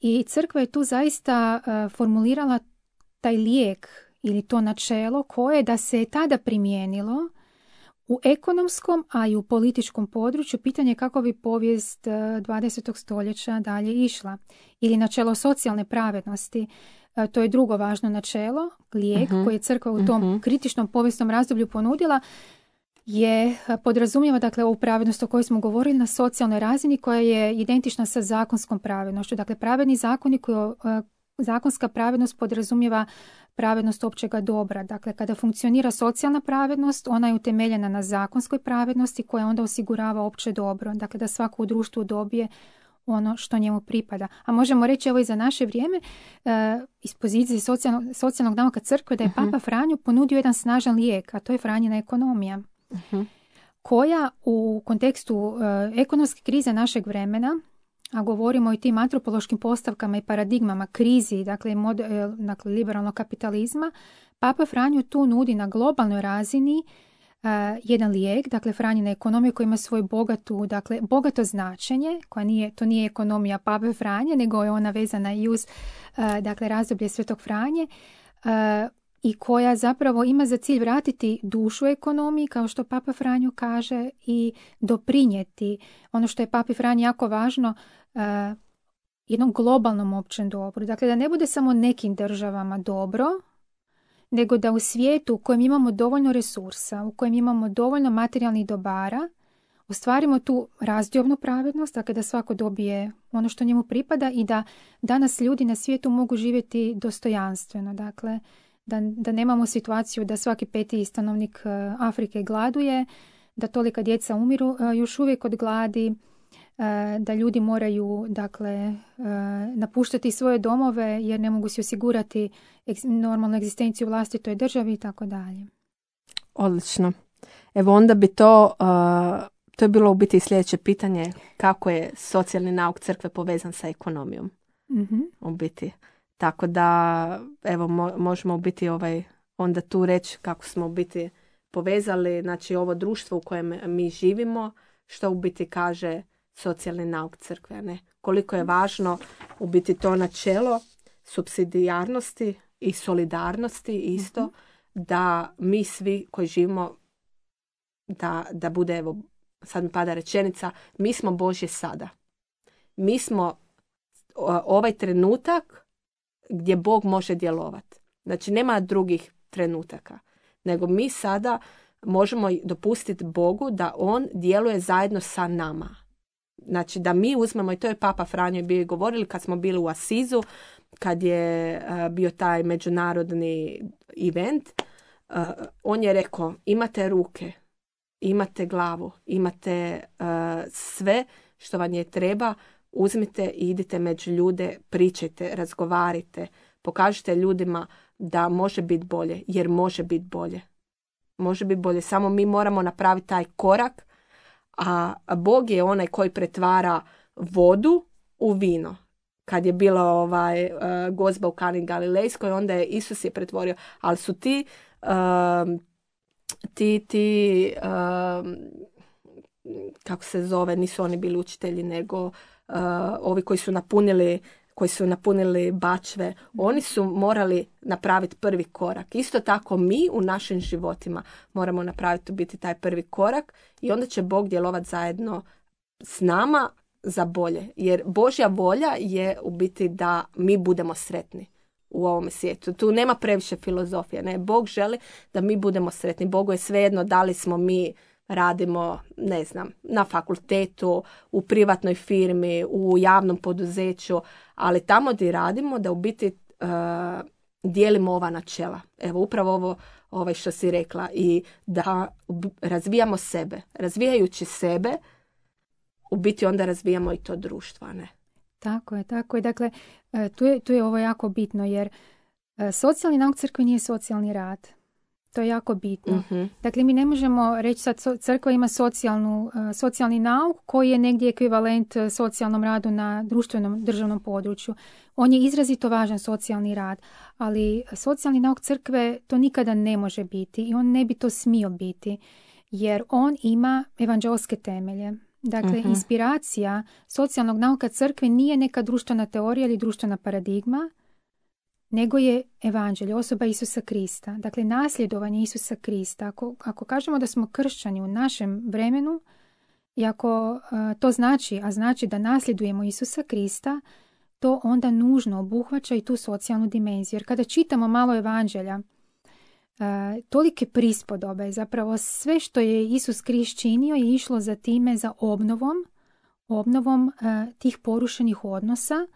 I crkva je tu zaista formulirala taj lijek ili to načelo koje da se je tada primijenilo u ekonomskom, a i u političkom području. Pitanje je kako bi povijest dvadesetog stoljeća dalje išla. Ili načelo socijalne pravednosti. To je drugo važno načelo, lijek uh-huh. koji je crkva u tom uh-huh. kritičnom povijesnom razdoblju ponudila. je podrazumijeva dakle ovu pravednost o kojoj smo govorili na socijalnoj razini koja je identična sa zakonskom pravednošću. Dakle, pravedni zakoni koji zakonska pravednost podrazumijeva pravednost općega dobra. Dakle, kada funkcionira socijalna pravednost, ona je utemeljena na zakonskoj pravednosti koja onda osigurava opće dobro. Dakle, da svako u društvu dobije ono što njemu pripada. A možemo reći, evo i za naše vrijeme, e, iz pozicije socijalnog, socijalnog nauka crkve, da je uh-huh. Papa Franjo ponudio jedan snažan lijek, a to je Franjina ekonomija, uh-huh. koja u kontekstu e, ekonomske krize našeg vremena, a govorimo o tim antropološkim postavkama i paradigmama krizi, dakle, mod, e, dakle liberalnog kapitalizma, Papa Franjo tu nudi na globalnoj razini Uh, jedan lijek, dakle Franjina ekonomija koja ima svoju bogatu, dakle bogato značenje, koja nije, to nije ekonomija Pape Franje, nego je ona vezana i uz uh, dakle razdoblje Svetog Franje uh, i koja zapravo ima za cilj vratiti dušu ekonomiji, kao što Papa Franjo kaže, i doprinijeti ono što je Papi Franji jako važno, uh, jednom globalnom općem dobru. Dakle, da ne bude samo nekim državama dobro, nego da u svijetu u kojem imamo dovoljno resursa, u kojem imamo dovoljno materijalnih dobara, ostvarimo tu razdiobnu pravednost, dakle da svako dobije ono što njemu pripada i da danas ljudi na svijetu mogu živjeti dostojanstveno. Dakle, da, da nemamo situaciju da svaki peti stanovnik Afrike gladuje, da tolika djeca umiru još uvijek od gladi, da ljudi moraju, dakle, napuštati svoje domove jer ne mogu si osigurati normalnu egzistenciju u vlastitoj državi i tako dalje.
Odlično. Evo onda bi to, uh, to je bilo u biti sljedeće pitanje, kako je socijalni nauk crkve povezan sa ekonomijom.
Mm-hmm.
U biti. Tako da, evo, mo- možemo u biti ovaj, onda tu reći kako smo u biti povezali, znači ovo društvo u kojem mi živimo, što u biti kaže socijalni nauk crkve, ne? Koliko je važno u biti to načelo supsidijarnosti i solidarnosti isto, mm-hmm. da mi svi koji živimo, da, da bude, evo, sad mi pada rečenica, mi smo Božje sada. Mi smo ovaj trenutak gdje Bog može djelovati. Znači, nema drugih trenutaka, nego mi sada možemo dopustiti Bogu da on djeluje zajedno sa nama. Znači da mi uzmemo, i to je Papa Franjo bio govorili kad smo bili u Asizu, kad je uh, bio taj međunarodni event, uh, on je rekao, imate ruke, imate glavu, imate uh, sve što vam je treba, uzmite i idite među ljude, pričajte, razgovarajte, pokažite ljudima da može biti bolje, jer može biti bolje. Može biti bolje, samo mi moramo napraviti taj korak, a Bog je onaj koji pretvara vodu u vino. Kad je bila ovaj, uh, gozba u Kani Galilejskoj, onda je Isus je pretvorio, ali su ti uh, ti, ti uh, kako se zove, nisu oni bili učitelji, nego uh, ovi koji su napunili koji su napunili bačve, oni su morali napraviti prvi korak. Isto tako mi u našim životima moramo napraviti biti taj prvi korak i onda će Bog djelovati zajedno s nama za bolje. Jer Božja volja je u biti da mi budemo sretni u ovom svijetu. Tu nema previše filozofije. Ne? Bog želi da mi budemo sretni. Bogu je svejedno da li smo mi radimo, ne znam, na fakultetu, u privatnoj firmi, u javnom poduzeću, ali tamo gdje radimo da u biti uh, dijelimo ova načela. Evo, upravo ovo ovaj što si rekla i da razvijamo sebe. Razvijajući sebe, u biti onda razvijamo i to društvo, ne?
Tako je, tako je. Dakle, tu je, tu je ovo jako bitno, jer socijalni nauk crkve nije socijalni rad. To je jako bitno. Mm-hmm. Dakle, mi ne možemo reći sad crkva ima socijalnu, socijalni nauk koji je negdje ekvivalent socijalnom radu na društvenom državnom području. On je izrazito važan socijalni rad, ali socijalni nauk crkve to nikada ne može biti i on ne bi to smio biti, jer on ima evanđelske temelje. Dakle, mm-hmm. inspiracija socijalnog nauka crkve nije neka društvena teorija ili društvena paradigma, nego je evanđelje, osoba Isusa Krista. Dakle, nasljedovanje Isusa Krista. Ako, ako kažemo da smo kršćani u našem vremenu i ako uh, to znači, a znači da nasljedujemo Isusa Krista, to onda nužno obuhvaća i tu socijalnu dimenziju. Jer kada čitamo malo evanđelja, tolike prispodobe. Zapravo sve što je Isus Krist činio je išlo za time, za obnovom, obnovom uh, tih porušenih odnosa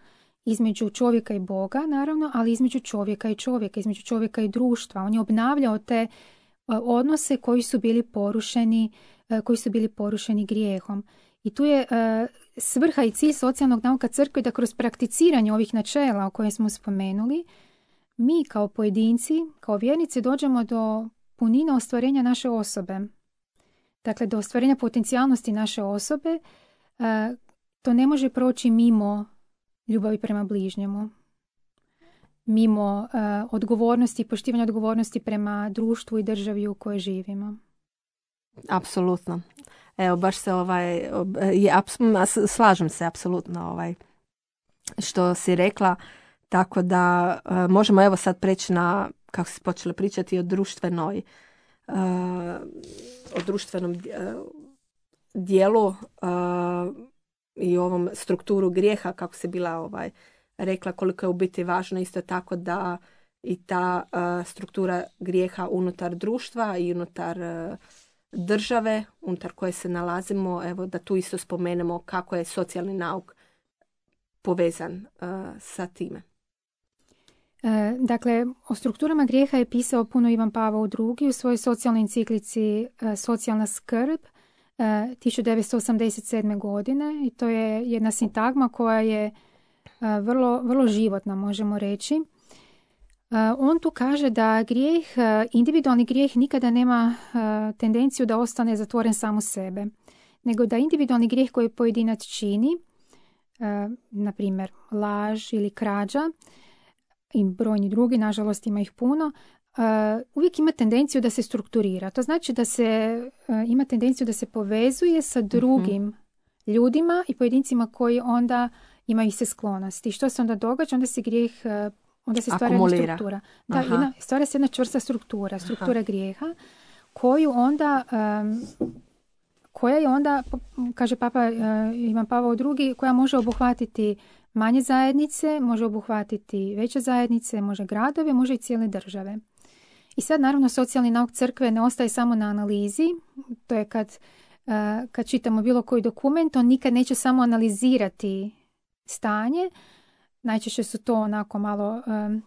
između čovjeka i Boga, naravno, ali između čovjeka i čovjeka, između čovjeka i društva. On je obnavljao te uh, odnose koji su bili porušeni, uh, koji su bili porušeni grijehom. I tu je uh, svrha i cilj socijalnog nauka crkve da kroz prakticiranje ovih načela o kojim smo spomenuli, mi kao pojedinci, kao vjernici dođemo do punine ostvarenja naše osobe. Dakle, do ostvarenja potencijalnosti naše osobe. Uh, to ne može proći mimo ljubavi prema bližnjemu, mimo uh, odgovornosti, poštivanja odgovornosti prema društvu i državi u kojoj živimo.
Apsolutno. Evo, baš se ovaj, je, slažem se apsolutno ovaj, što si rekla, tako da uh, možemo evo sad preći na, kako si počela pričati, o društvenoj, uh, o društvenom uh, dijelu uh, i ovom strukturu grijeha, kako si bila ovaj, rekla, koliko je u biti važno isto tako da i ta uh, struktura grijeha unutar društva i unutar uh, države unutar koje se nalazimo, evo da tu isto spomenemo kako je socijalni nauk povezan uh, sa time.
E, dakle, o strukturama grijeha je pisao puno Ivan Pavao drugi u svojoj socijalnoj enciklici e, Socijalna skrb e, tisuću devetsto osamdeset sedme. godine i to je jedna sintagma koja je e, vrlo, vrlo životna, možemo reći. On tu kaže da grijeh, individualni grijeh nikada nema tendenciju da ostane zatvoren sam u sebe, nego da individualni grijeh koji pojedinac čini, na primjer laž ili krađa i brojni drugi, nažalost ima ih puno, uvijek ima tendenciju da se strukturira. To znači da se ima tendenciju da se povezuje sa drugim uh-huh. ljudima i pojedincima koji onda imaju se sklonosti. Što se onda događa? Onda se grijeh onda se stvara jedna struktura. Da, jedna, stvara se jedna čvrsta struktura, struktura Aha. grijeha, koju onda, um, koja je onda, kaže Papa uh, Ivan Pavao drugi, koja može obuhvatiti manje zajednice, može obuhvatiti veće zajednice, može gradove, može i cijele države. I sad naravno socijalni nauk crkve ne ostaje samo na analizi, to je kad, uh, kad čitamo bilo koji dokument, on nikad neće samo analizirati stanje. Najčešće su to onako malo, um,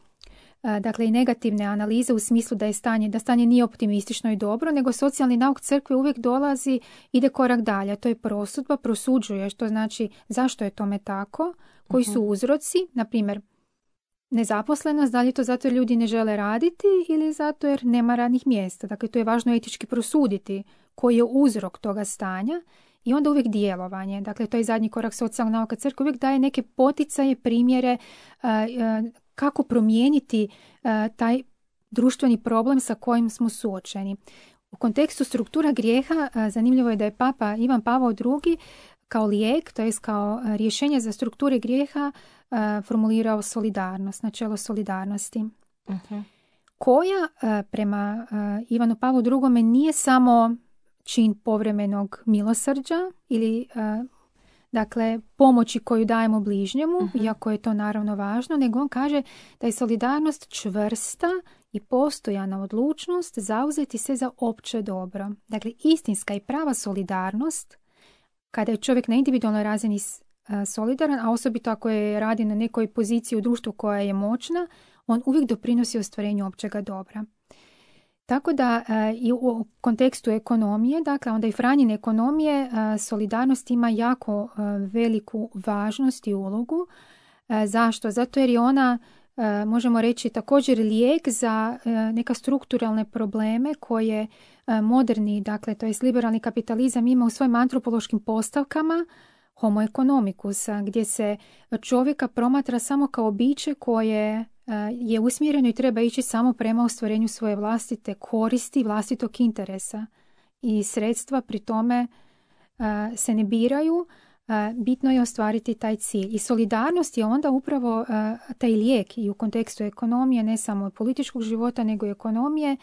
uh, dakle i negativne analize u smislu da je stanje, da stanje nije optimistično i dobro, nego socijalni nauk crkve uvijek dolazi, ide korak dalje. To je prosudba, prosuđuje, što znači zašto je tome tako, koji su uzroci, na primjer nezaposlenost, da li je to zato jer ljudi ne žele raditi ili zato jer nema radnih mjesta. Dakle, to je važno etički prosuditi koji je uzrok toga stanja. I onda uvijek djelovanje. Dakle, to je zadnji korak socijalnog nauka crkve. Uvijek daje neke poticaje, primjere uh, uh, kako promijeniti uh, taj društveni problem sa kojim smo suočeni. U kontekstu struktura grijeha uh, zanimljivo je da je Papa Ivan Pavao drugi kao lijek, to je kao uh, rješenje za strukture grijeha uh, formulirao solidarnost, načelo solidarnosti. Uh-huh. Koja uh, prema uh, Ivanu Pavlu drugome nije samo čin povremenog milosrđa ili uh, dakle pomoći koju dajemo bližnjemu, uh-huh. iako je to naravno važno, nego on kaže da je solidarnost čvrsta i postojana odlučnost zauzeti se za opće dobro. Dakle, istinska i prava solidarnost, kada je čovjek na individualnoj razini uh, solidaran, a osobito ako je radi na nekoj poziciji u društvu koja je moćna, on uvijek doprinosi ostvarenju općega dobra. Tako da uh, i u kontekstu ekonomije, dakle onda i Franjine ekonomije, uh, solidarnost ima jako uh, veliku važnost i ulogu. Uh, zašto? Zato jer je ona, uh, možemo reći, također lijek za uh, neka strukturalne probleme koje uh, moderni, dakle to je liberalni kapitalizam ima u svojim antropološkim postavkama homo economicus, gdje se čovjeka promatra samo kao biće koje je usmjereno i treba ići samo prema ostvarenju svoje vlastite koristi, vlastitog interesa. I sredstva pri tome uh, se ne biraju, uh, bitno je ostvariti taj cilj. I solidarnost je onda upravo uh, taj lijek i u kontekstu ekonomije, ne samo političkog života, nego i ekonomije.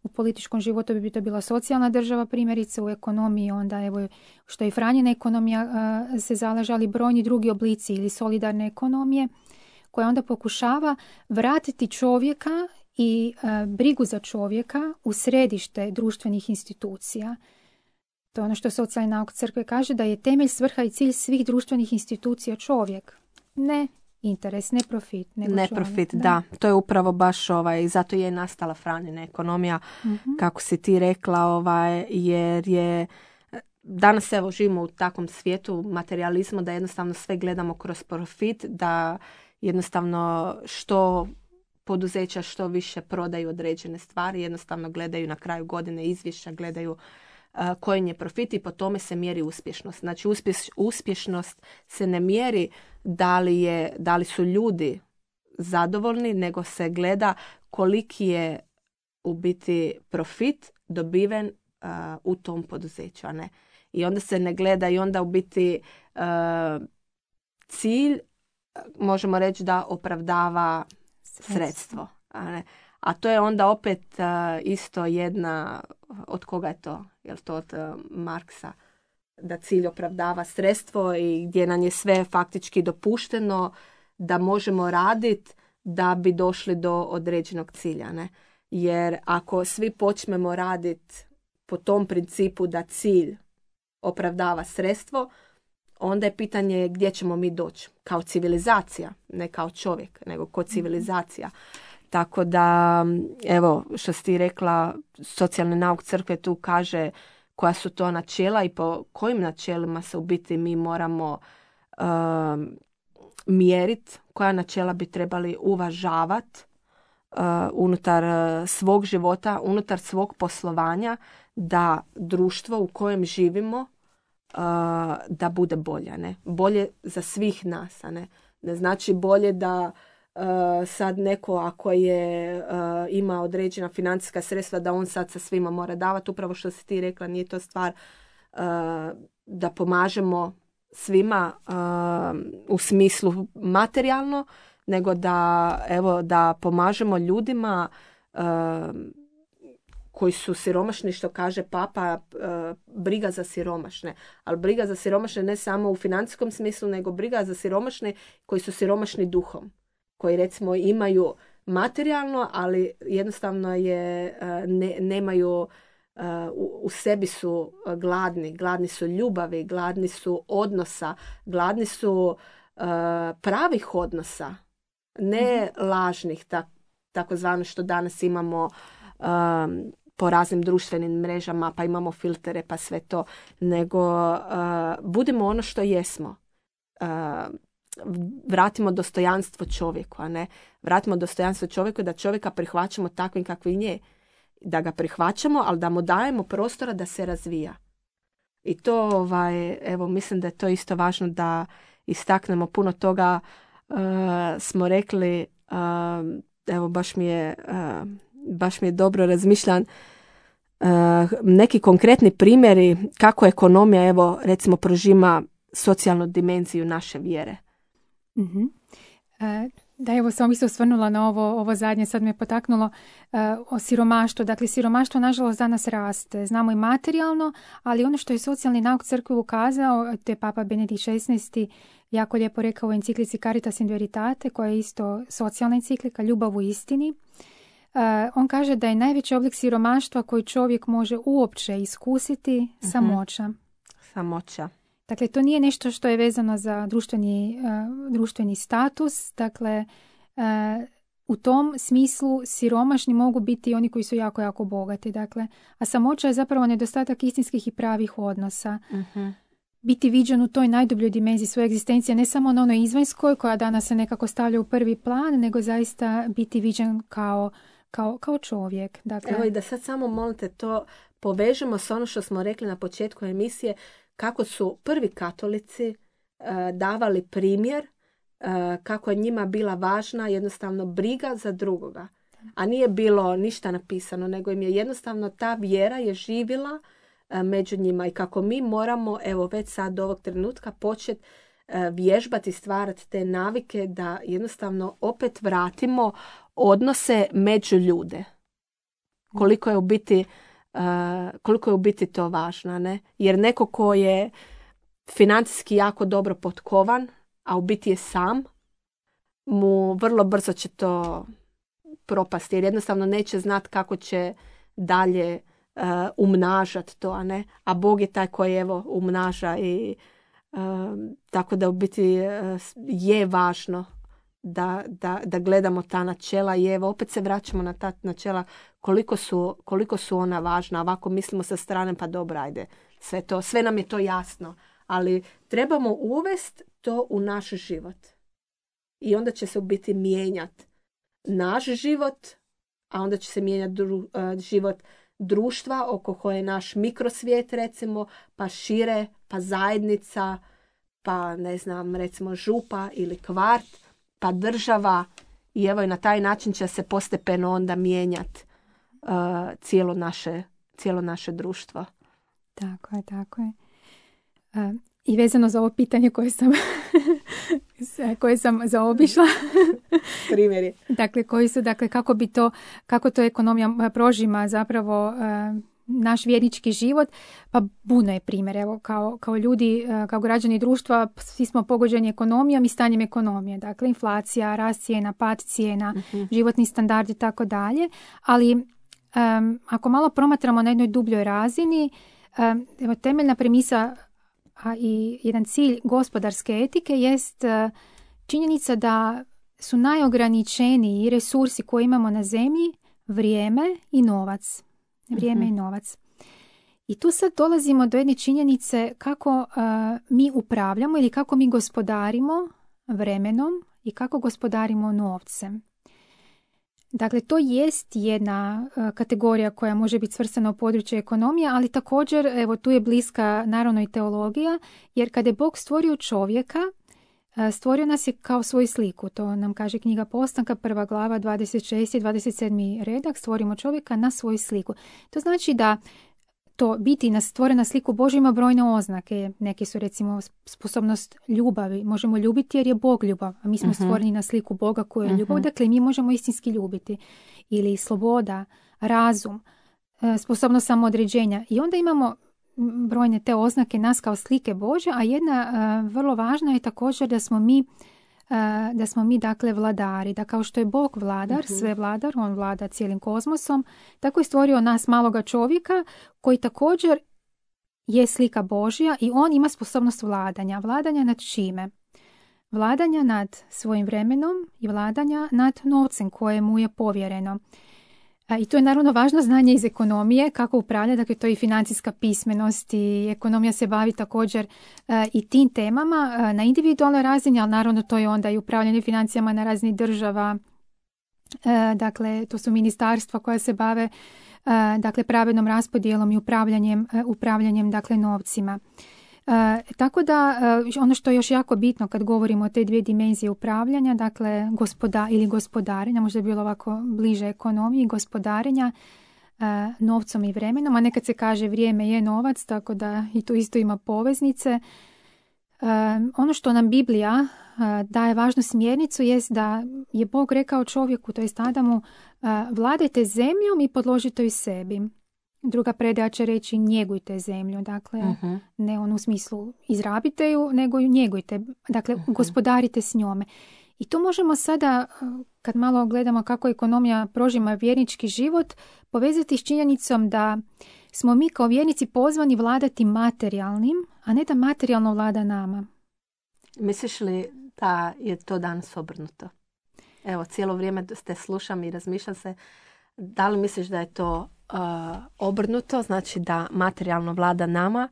U političkom životu bi to bila socijalna država, primjerice u ekonomiji, onda evo što je Franjina ekonomija uh, se zalaže, ali brojni drugi oblici ili solidarne ekonomije, koja onda pokušava vratiti čovjeka i uh, brigu za čovjeka u središte društvenih institucija. To je ono što socijalni nauk crkve kaže, da je temelj, svrha i cilj svih društvenih institucija čovjek. Ne interes, ne profit. Nego
ne
čovjek,
profit,
da.
da. To je upravo baš ovaj, zato je nastala Franjina ekonomija,
Mm-hmm.
kako si ti rekla, ovaj, jer je danas evo živimo u takvom svijetu materijalizmu da jednostavno sve gledamo kroz profit, da jednostavno što poduzeća što više prodaju određene stvari, jednostavno gledaju na kraju godine izvješća, gledaju uh, koji je profit i po tome se mjeri uspješnost. Znači uspješ, uspješnost se ne mjeri da li, je, da li su ljudi zadovoljni, nego se gleda koliki je u biti profit dobiven uh, u tom poduzeću, a ne. I onda se ne gleda i onda u biti uh, cilj, možemo reći da opravdava sredstvo. sredstvo a, ne? A to je onda opet uh, isto jedna, od koga je to? Je li to od uh, Marksa? Da cilj opravdava sredstvo i gdje nam je sve faktički dopušteno da možemo raditi da bi došli do određenog cilja. Ne? Jer ako svi počnemo raditi po tom principu da cilj opravdava sredstvo, onda je pitanje gdje ćemo mi doći. Kao civilizacija, ne kao čovjek, nego kao civilizacija. Tako da, evo, što si ti rekla, socijalni nauk crkve tu kaže koja su to načela i po kojim načelima se u biti mi moramo uh, mjeriti, koja načela bi trebali uvažavati uh, unutar uh, svog života, unutar svog poslovanja, da društvo u kojem živimo uh, da bude bolje. Ne? Bolje za svih nas. A ne? ne znači bolje da uh, sad neko ako je uh, ima određena financijska sredstva da on sad sa svima mora davati. Upravo što si ti rekla, nije to stvar uh, da pomažemo svima uh, u smislu materijalno, nego da, evo, da pomažemo ljudima uh, koji su siromašni, što kaže Papa, uh, briga za siromašne. Ali briga za siromašne ne samo u financijskom smislu, nego briga za siromašne koji su siromašni duhom. Koji recimo imaju materijalno, ali jednostavno je uh, ne, nemaju, uh, u, u sebi su gladni. Gladni su ljubavi, gladni su odnosa, gladni su uh, pravih odnosa. Ne mm-hmm. lažnih, tak, takozvano što danas imamo um, po raznim društvenim mrežama, pa imamo filtere, pa sve to, nego uh, budimo ono što jesmo. Uh, vratimo dostojanstvo čovjeku, a ne vratimo dostojanstvo čovjeku, da čovjeka prihvaćamo takvim kakvim je. Da ga prihvaćamo, ali da mu dajemo prostora da se razvija. I to, ovaj, evo, mislim da je to isto važno da istaknemo. Puno toga uh, smo rekli, uh, evo, baš mi je uh, baš mi je dobro razmišljan uh, neki konkretni primjeri kako ekonomija, evo, recimo, prožima socijalnu dimenziju naše vjere.
Mm-hmm. Uh, da, evo, sam bi se osvrnula na ovo, ovo zadnje, sad me potaknulo uh, o siromaštvu. Dakle, siromaštvo, nažalost, danas raste. Znamo i materijalno, ali ono što je socijalni nauk crkve ukazao, te Papa Benedikt šesnaesti jako lijepo rekao u enciklici Caritas in Veritate, koja je isto socijalna enciklika, ljubav u istini. Uh, on kaže da je najveći oblik siromaštva koji čovjek može uopće iskusiti mm-hmm. samoća.
Samoća.
Dakle, to nije nešto što je vezano za društveni, uh, društveni status. Dakle, uh, u tom smislu siromašni mogu biti oni koji su jako, jako bogati. Dakle, a samoća je zapravo nedostatak istinskih i pravih odnosa.
Mm-hmm.
Biti viđen u toj najdubljoj dimenziji svoje egzistencije, ne samo na onoj izvanjskoj koja danas se nekako stavlja u prvi plan, nego zaista biti viđen kao, kao, kao čovjek. Dakle,
evo, i da sad samo, molite, to povežemo s ono što smo rekli na početku emisije, kako su prvi katolici uh, davali primjer, uh, kako je njima bila važna jednostavno briga za drugoga. A nije bilo ništa napisano, nego im je jednostavno ta vjera je živjela uh, među njima i kako mi moramo, evo, već sad do ovog trenutka početi uh, vježbati, stvarati te navike da jednostavno opet vratimo odnose među ljude. Koliko je u biti Uh, koliko je u biti to važno, ne? Jer neko ko je financijski jako dobro potkovan, a u biti je sam, mu vrlo brzo će to propasti, jer jednostavno neće znati kako će dalje uh, umnažati to, a ne? A Bog je taj koji evo umnaža i uh, tako da u biti uh, je važno da, da, da gledamo ta načela i evo opet se vraćamo na ta načela koliko su, koliko su ona važna. Ovako mislimo sa strane pa dobro, ajde, sve, to, sve nam je to jasno, ali trebamo uvesti to u naš život i onda će se u biti mijenjati naš život, a onda će se mijenjati dru, uh, život društva oko koje je naš mikrosvijet recimo, pa šire, pa zajednica, pa ne znam, recimo župa ili kvart, pa država i evo i na taj način će se postepeno onda mijenjati uh, cijelo, naše, cijelo naše društvo.
Tako je, tako je. Uh, I vezano za ovo pitanje koje sam, koje sam zaobišla.
Primjeri.
Dakle, koji su, dakle, kako bi to, kako to ekonomija prožima zapravo uh, naš vjernički život, pa puno je primjer. Evo, kao, kao ljudi, kao građani društva, svi smo pogođeni ekonomijom i stanjem ekonomije. Dakle, inflacija, rast cijena, pad cijena, uh-huh. životni standard i tako dalje. Ali um, ako malo promatramo na jednoj dubljoj razini, um, evo, temeljna premisa a i jedan cilj gospodarske etike jest uh, činjenica da su najograničeniji resursi koje imamo na zemlji vrijeme i novac. Vrijeme uh-huh. i novac. I tu sad dolazimo do jedne činjenice kako uh, mi upravljamo ili kako mi gospodarimo vremenom i kako gospodarimo novcem. Dakle, to jest jedna uh, kategorija koja može biti svrstana u područje ekonomije, ali također, evo, tu je bliska naravno i teologija, jer kada je Bog stvorio čovjeka, uh, stvorio nas je kao svoju sliku. To nam kaže knjiga Postanka, prva glava, dvadeset šesti i dvadeset sedmi redak, stvorimo čovjeka na svoju sliku. To znači da to biti na stvorena sliku Božja ima brojne oznake. Neke su recimo sposobnost ljubavi. Možemo ljubiti jer je Bog ljubav, a mi smo uh-huh. stvoreni na sliku Boga koji je ljubav. Uh-huh. Dakle, mi možemo istinski ljubiti. Ili sloboda, razum, sposobnost samoodređenja. I onda imamo brojne te oznake nas kao slike Božje, a jedna uh, vrlo važna je također da smo mi Uh, da smo mi dakle vladari, da kao što je Bog vladar, uh-huh. sve vladar, on vlada cijelim kozmosom, tako je stvorio nas maloga čovjeka koji također je slika Božja i on ima sposobnost vladanja. Vladanja nad čime? Vladanja nad svojim vremenom i vladanja nad novcem koje mu je povjereno. Uh, I to je naravno važno znanje iz ekonomije, kako upravlja, dakle to je i financijska pismenost i ekonomija se bavi također uh, i tim temama uh, na individualnoj razini, ali naravno to je onda i upravljanje financijama na razini država, uh, dakle to su ministarstva koja se bave uh, dakle pravednom raspodjelom i upravljanjem, uh, upravljanjem dakle novcima. E, tako da e, ono što je još jako bitno kad govorimo o te dvije dimenzije upravljanja, dakle gospoda ili gospodarenja, možda je bilo ovako bliže ekonomiji, gospodarenja e, novcom i vremenom, a nekad se kaže vrijeme je novac, tako da i tu isto ima poveznice. E, ono što nam Biblija e, daje važnu smjernicu jest da je Bog rekao čovjeku, to jest Adamu, e, vladajte zemljom i podložite ju sebi. Druga predaja će reći njegujte zemlju, dakle uh-huh. ne on u smislu izrabite ju, nego ju njegujte, dakle uh-huh. gospodarite s njome. I to možemo sada, kad malo gledamo kako ekonomija prožima vjernički život, povezati s činjenicom da smo mi kao vjernici pozvani vladati materijalnim, a ne da materijalno vlada nama.
Misliš li da je to danas obrnuto? Evo, cijelo vrijeme te slušam i razmišljam se, da li misliš da je to Uh, obrnuto, znači da materijalno vlada nama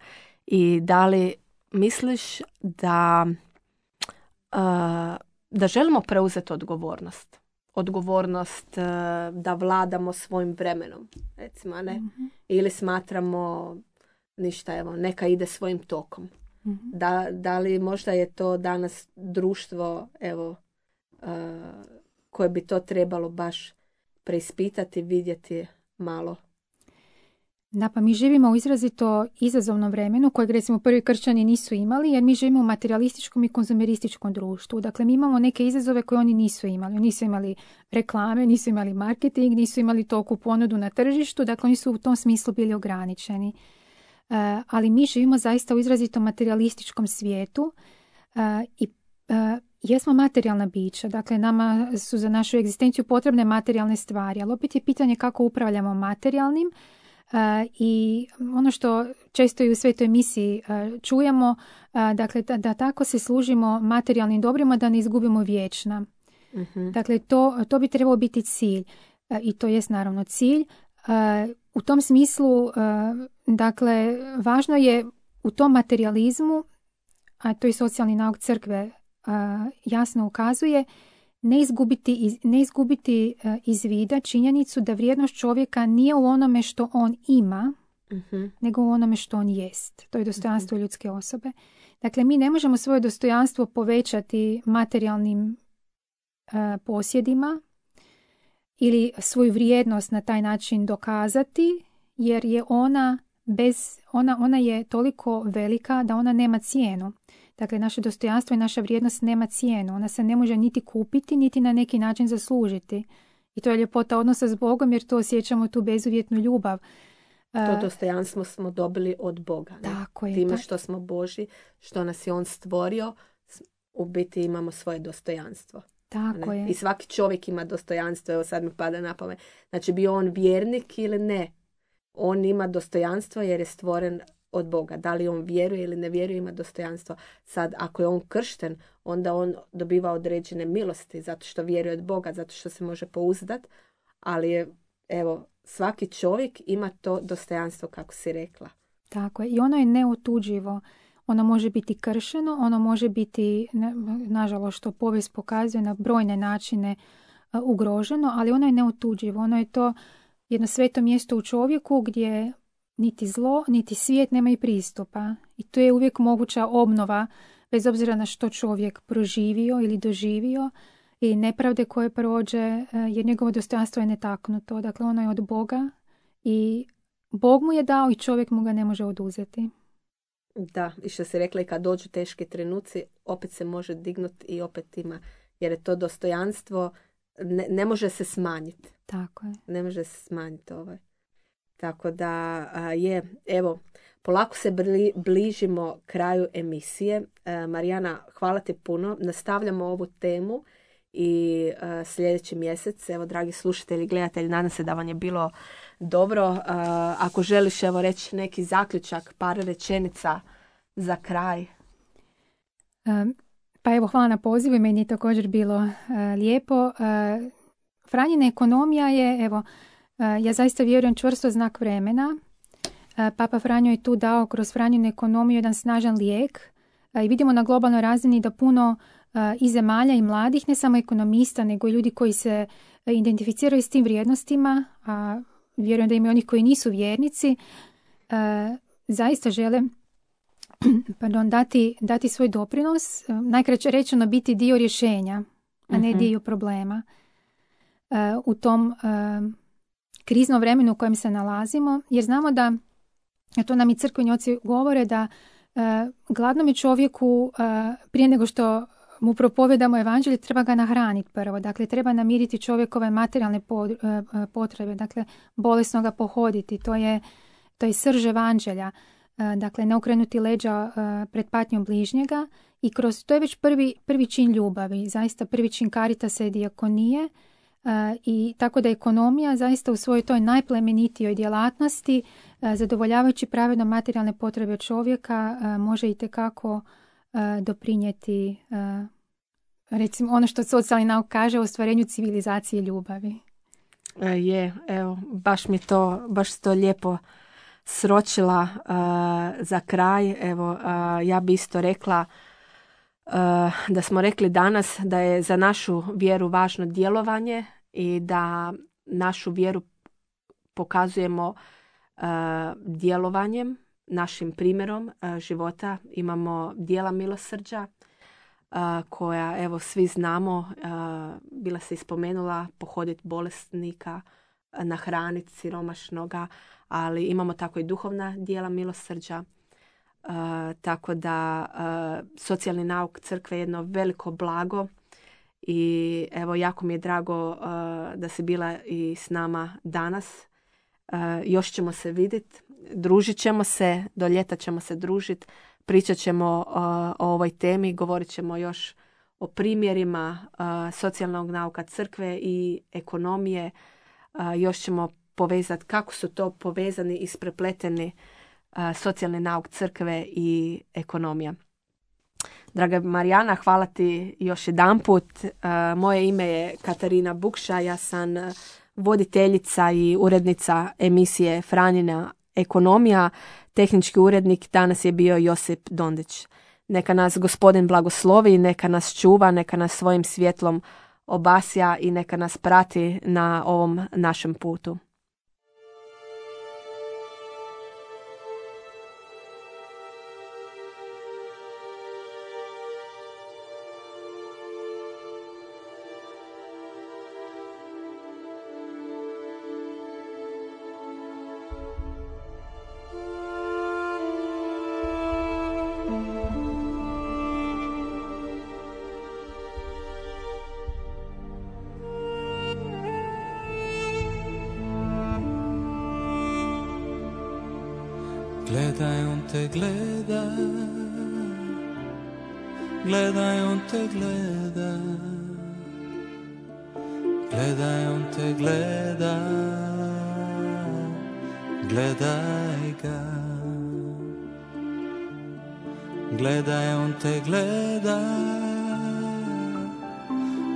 i da li misliš da uh, da želimo preuzeti odgovornost odgovornost uh, da vladamo svojim vremenom, recimo, ne? Mm-hmm. Ili smatramo ništa, evo, neka ide svojim tokom. Mm-hmm. Da, da li možda je to danas društvo, evo, uh, koje bi to trebalo baš preispitati, vidjeti malo.
Da, pa mi živimo u izrazito izazovnom vremenu kojeg recimo prvi kršćani nisu imali, jer mi živimo u materialističkom i konzumerističkom društvu. Dakle, mi imamo neke izazove koje oni nisu imali. Oni nisu imali reklame, nisu imali marketing, nisu imali toku ponudu na tržištu, dakle oni su u tom smislu bili ograničeni. Uh, ali mi živimo zaista u izrazito materialističkom svijetu uh, i jesmo materijalna bića, dakle nama su za našu egzistenciju potrebne materijalne stvari, ali opet je pitanje kako upravljamo materijalnim. Uh, i ono što često i u svetoj misiji uh, čujemo, uh, dakle da, da tako se služimo materijalnim dobrima da ne izgubimo vječna.
Mm-hmm.
Dakle to, to bi trebao biti cilj uh, i to jest naravno cilj. Uh, u tom smislu, uh, dakle, važno je u tom materijalizmu, a to i socijalni nauk crkve uh, jasno ukazuje, ne izgubiti, iz, ne izgubiti uh, iz vida činjenicu da vrijednost čovjeka nije u onome što on ima,
mm-hmm.
nego u onome što on jest. To je dostojanstvo mm-hmm. ljudske osobe. Dakle, mi ne možemo svoje dostojanstvo povećati materijalnim uh, posjedima ili svoju vrijednost na taj način dokazati, jer je ona bez, ona, ona je toliko velika da ona nema cijenu. Dakle, naše dostojanstvo i naša vrijednost nema cijenu. Ona se ne može niti kupiti, niti na neki način zaslužiti. I to je ljepota odnosa s Bogom, jer to osjećamo tu bezuvjetnu ljubav.
To dostojanstvo smo dobili od Boga. Ne?
Tako je.
Time
Tak.
što smo Božji, što nas je On stvorio, u biti imamo svoje dostojanstvo.
Tako
ne?
je.
I svaki čovjek ima dostojanstvo, evo sad mi pada na pamet. Znači, bio on vjernik ili ne, on ima dostojanstvo jer je stvoren od Boga. Da li on vjeruje ili ne vjeruje, ima dostojanstvo. Sad, ako je on kršten, onda on dobiva određene milosti zato što vjeruje od Boga, zato što se može pouzdat. Ali je, evo, svaki čovjek ima to dostojanstvo, kako si rekla.
Tako je. I ono je neotuđivo. Ono može biti kršeno, ono može biti, nažalost, što povijest pokazuje, na brojne načine uh, ugroženo, ali ono je neotuđivo. Ono je to jedno sveto mjesto u čovjeku gdje niti zlo, niti svijet nemaju pristupa. I to je uvijek moguća obnova, bez obzira na što čovjek proživio ili doživio i nepravde koje prođe, jer njegovo dostojanstvo je netaknuto. Dakle, ono je od Boga i Bog mu je dao i čovjek mu ga ne može oduzeti.
Da, i što si rekla, i kad dođu teški trenuci, opet se može dignuti i opet ima, jer je to dostojanstvo, ne, ne može se smanjiti.
Tako je.
Ne može se smanjiti ovaj. Tako da a, je, evo, polako se bli, bližimo kraju emisije. E, Marijana, hvala ti puno. Nastavljamo ovu temu i a, sljedeći mjesec, evo, dragi slušatelji, gledatelji, nadam se da vam je bilo dobro. A, ako želiš, evo, reći neki zaključak, par rečenica za kraj.
Um, pa evo, hvala na pozivu i meni je također bilo uh, lijepo. Uh, Franjina ekonomija je, evo, ja zaista vjerujem, čvrsto znak vremena. Papa Franjo je tu dao kroz Franjinu ekonomiju jedan snažan lijek i vidimo na globalnoj razini da puno i zemalja i mladih, ne samo ekonomista, nego i ljudi koji se identificiraju s tim vrijednostima, a vjerujem da ima i onih koji nisu vjernici, zaista žele pardon, dati, dati svoj doprinos, najkraće rečeno biti dio rješenja, a ne dio problema. U tom kriznom vremenu u kojem se nalazimo, jer znamo da, a to nam i crkveni oci govore, da uh, gladnom čovjeku uh, prije nego što mu propovedamo evanđelje treba ga nahraniti prvo. Dakle, treba namiriti čovjekove materijalne pod, uh, potrebe, dakle, bolesno ga pohoditi. To je, to je srž evanđelja. Uh, dakle, ne okrenuti leđa uh, pred patnjom bližnjega i kroz to je već prvi, prvi čin ljubavi, zaista prvi čin karitasa i dijakonije. Uh, I tako da ekonomija zaista u svojoj toj najplemenitijoj djelatnosti, uh, zadovoljavajući pravedno materijalne potrebe čovjeka, uh, može itekako uh, doprinijeti, uh, recimo ono što socijalni nauk kaže, o ostvarenju civilizacije ljubavi.
E, je, evo, baš mi to, baš to lijepo sročila uh, za kraj. Evo, uh, ja bi isto rekla Uh, da smo rekli danas da je za našu vjeru važno djelovanje i da našu vjeru pokazujemo uh, djelovanjem, našim primjerom uh, života. Imamo djela milosrđa uh, koja, evo, svi znamo, uh, bila se ispomenula, pohoditi bolesnika, uh, nahraniti siromašnoga, ali imamo tako i duhovna djela milosrđa. Uh, tako da uh, socijalni nauk crkve je jedno veliko blago i evo, jako mi je drago uh, da si bila i s nama danas. Uh, još ćemo se vidjeti, družit ćemo se, do ljeta ćemo se družiti, pričat ćemo uh, o ovoj temi, govorit ćemo još o primjerima uh, socijalnog nauka crkve i ekonomije. Uh, još ćemo povezati kako su to povezani i isprepleteni uh, socijalni nauk crkve i ekonomija. Draga Marijana, hvala ti još jedanput. Uh, moje ime je Katarina Bukša, ja sam voditeljica i urednica emisije Franjina ekonomija. Tehnički urednik danas je bio Josip Dondić. Neka nas Gospodin blagoslovi, neka nas čuva, neka nas svojim svjetlom obasja i neka nas prati na ovom našem putu.
Gledaj, on te gleda, gledaj, on te gleda, gledaj, on te gleda, gledaj ga. Gledaj, on te gleda,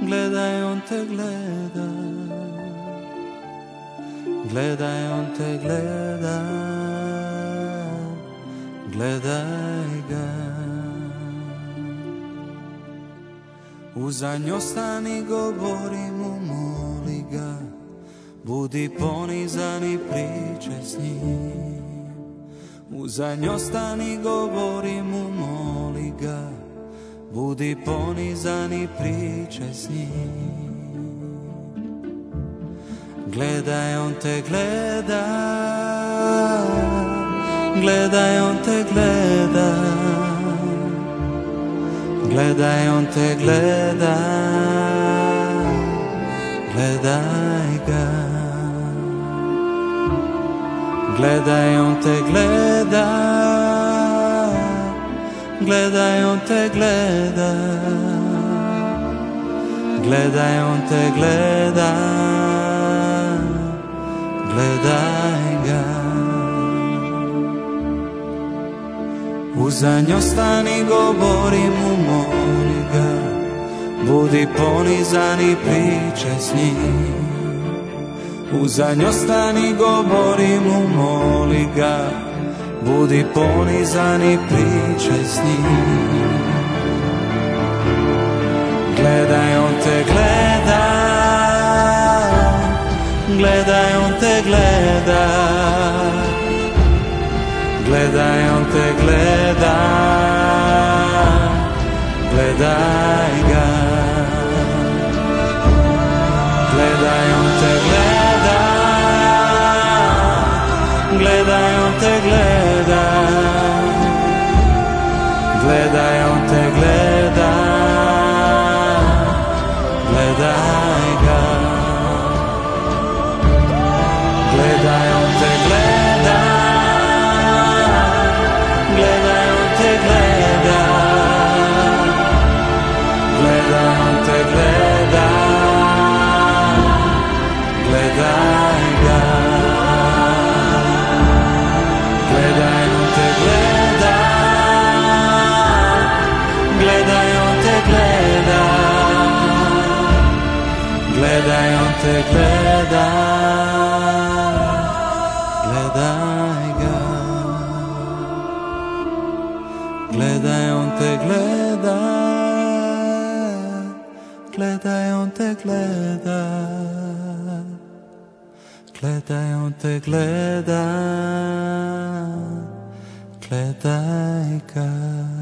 gledaj, on te gleda, gledaj, on te gleda, gledaj ga. Uzanj ostani, govori mu, moli ga, budi ponizan i pričaj s njim. Uzanj ostani, govori mu, moli ga, budi ponizan i pričaj s njim. Gledaj, on te gleda, gledaj, on te gleda, gledaj, on te gleda, gledaj ga. Gledaj, on te gleda, gledaj, on te gleda, gledaj, on te gleda, gledaj ga. Uzanj ostani, govori mu, moli ga, budi ponizan i pričaj s njim. Uzanj ostani, govori mu, moli ga, budi ponizan i pričaj s njim. Gledaj, on te gleda, gledaj, on te gleda, gledaj, on te gleda, gledaj ga. Gledaj, on te gleda, gledaj, on te gleda, gledaj, on te gleda, gledaj ga. Gledaj, on te gleda, gledaj, on te gleda, gledaj, on te gleda, gledaj ga. Gledaj, on te gleda, gledaj, on te gleda, gledaj, on te gleda, gledaj ga. Gledaj, on te gleda, gledaj, on te gleda, gledaj, on te gleda, gledaj ga.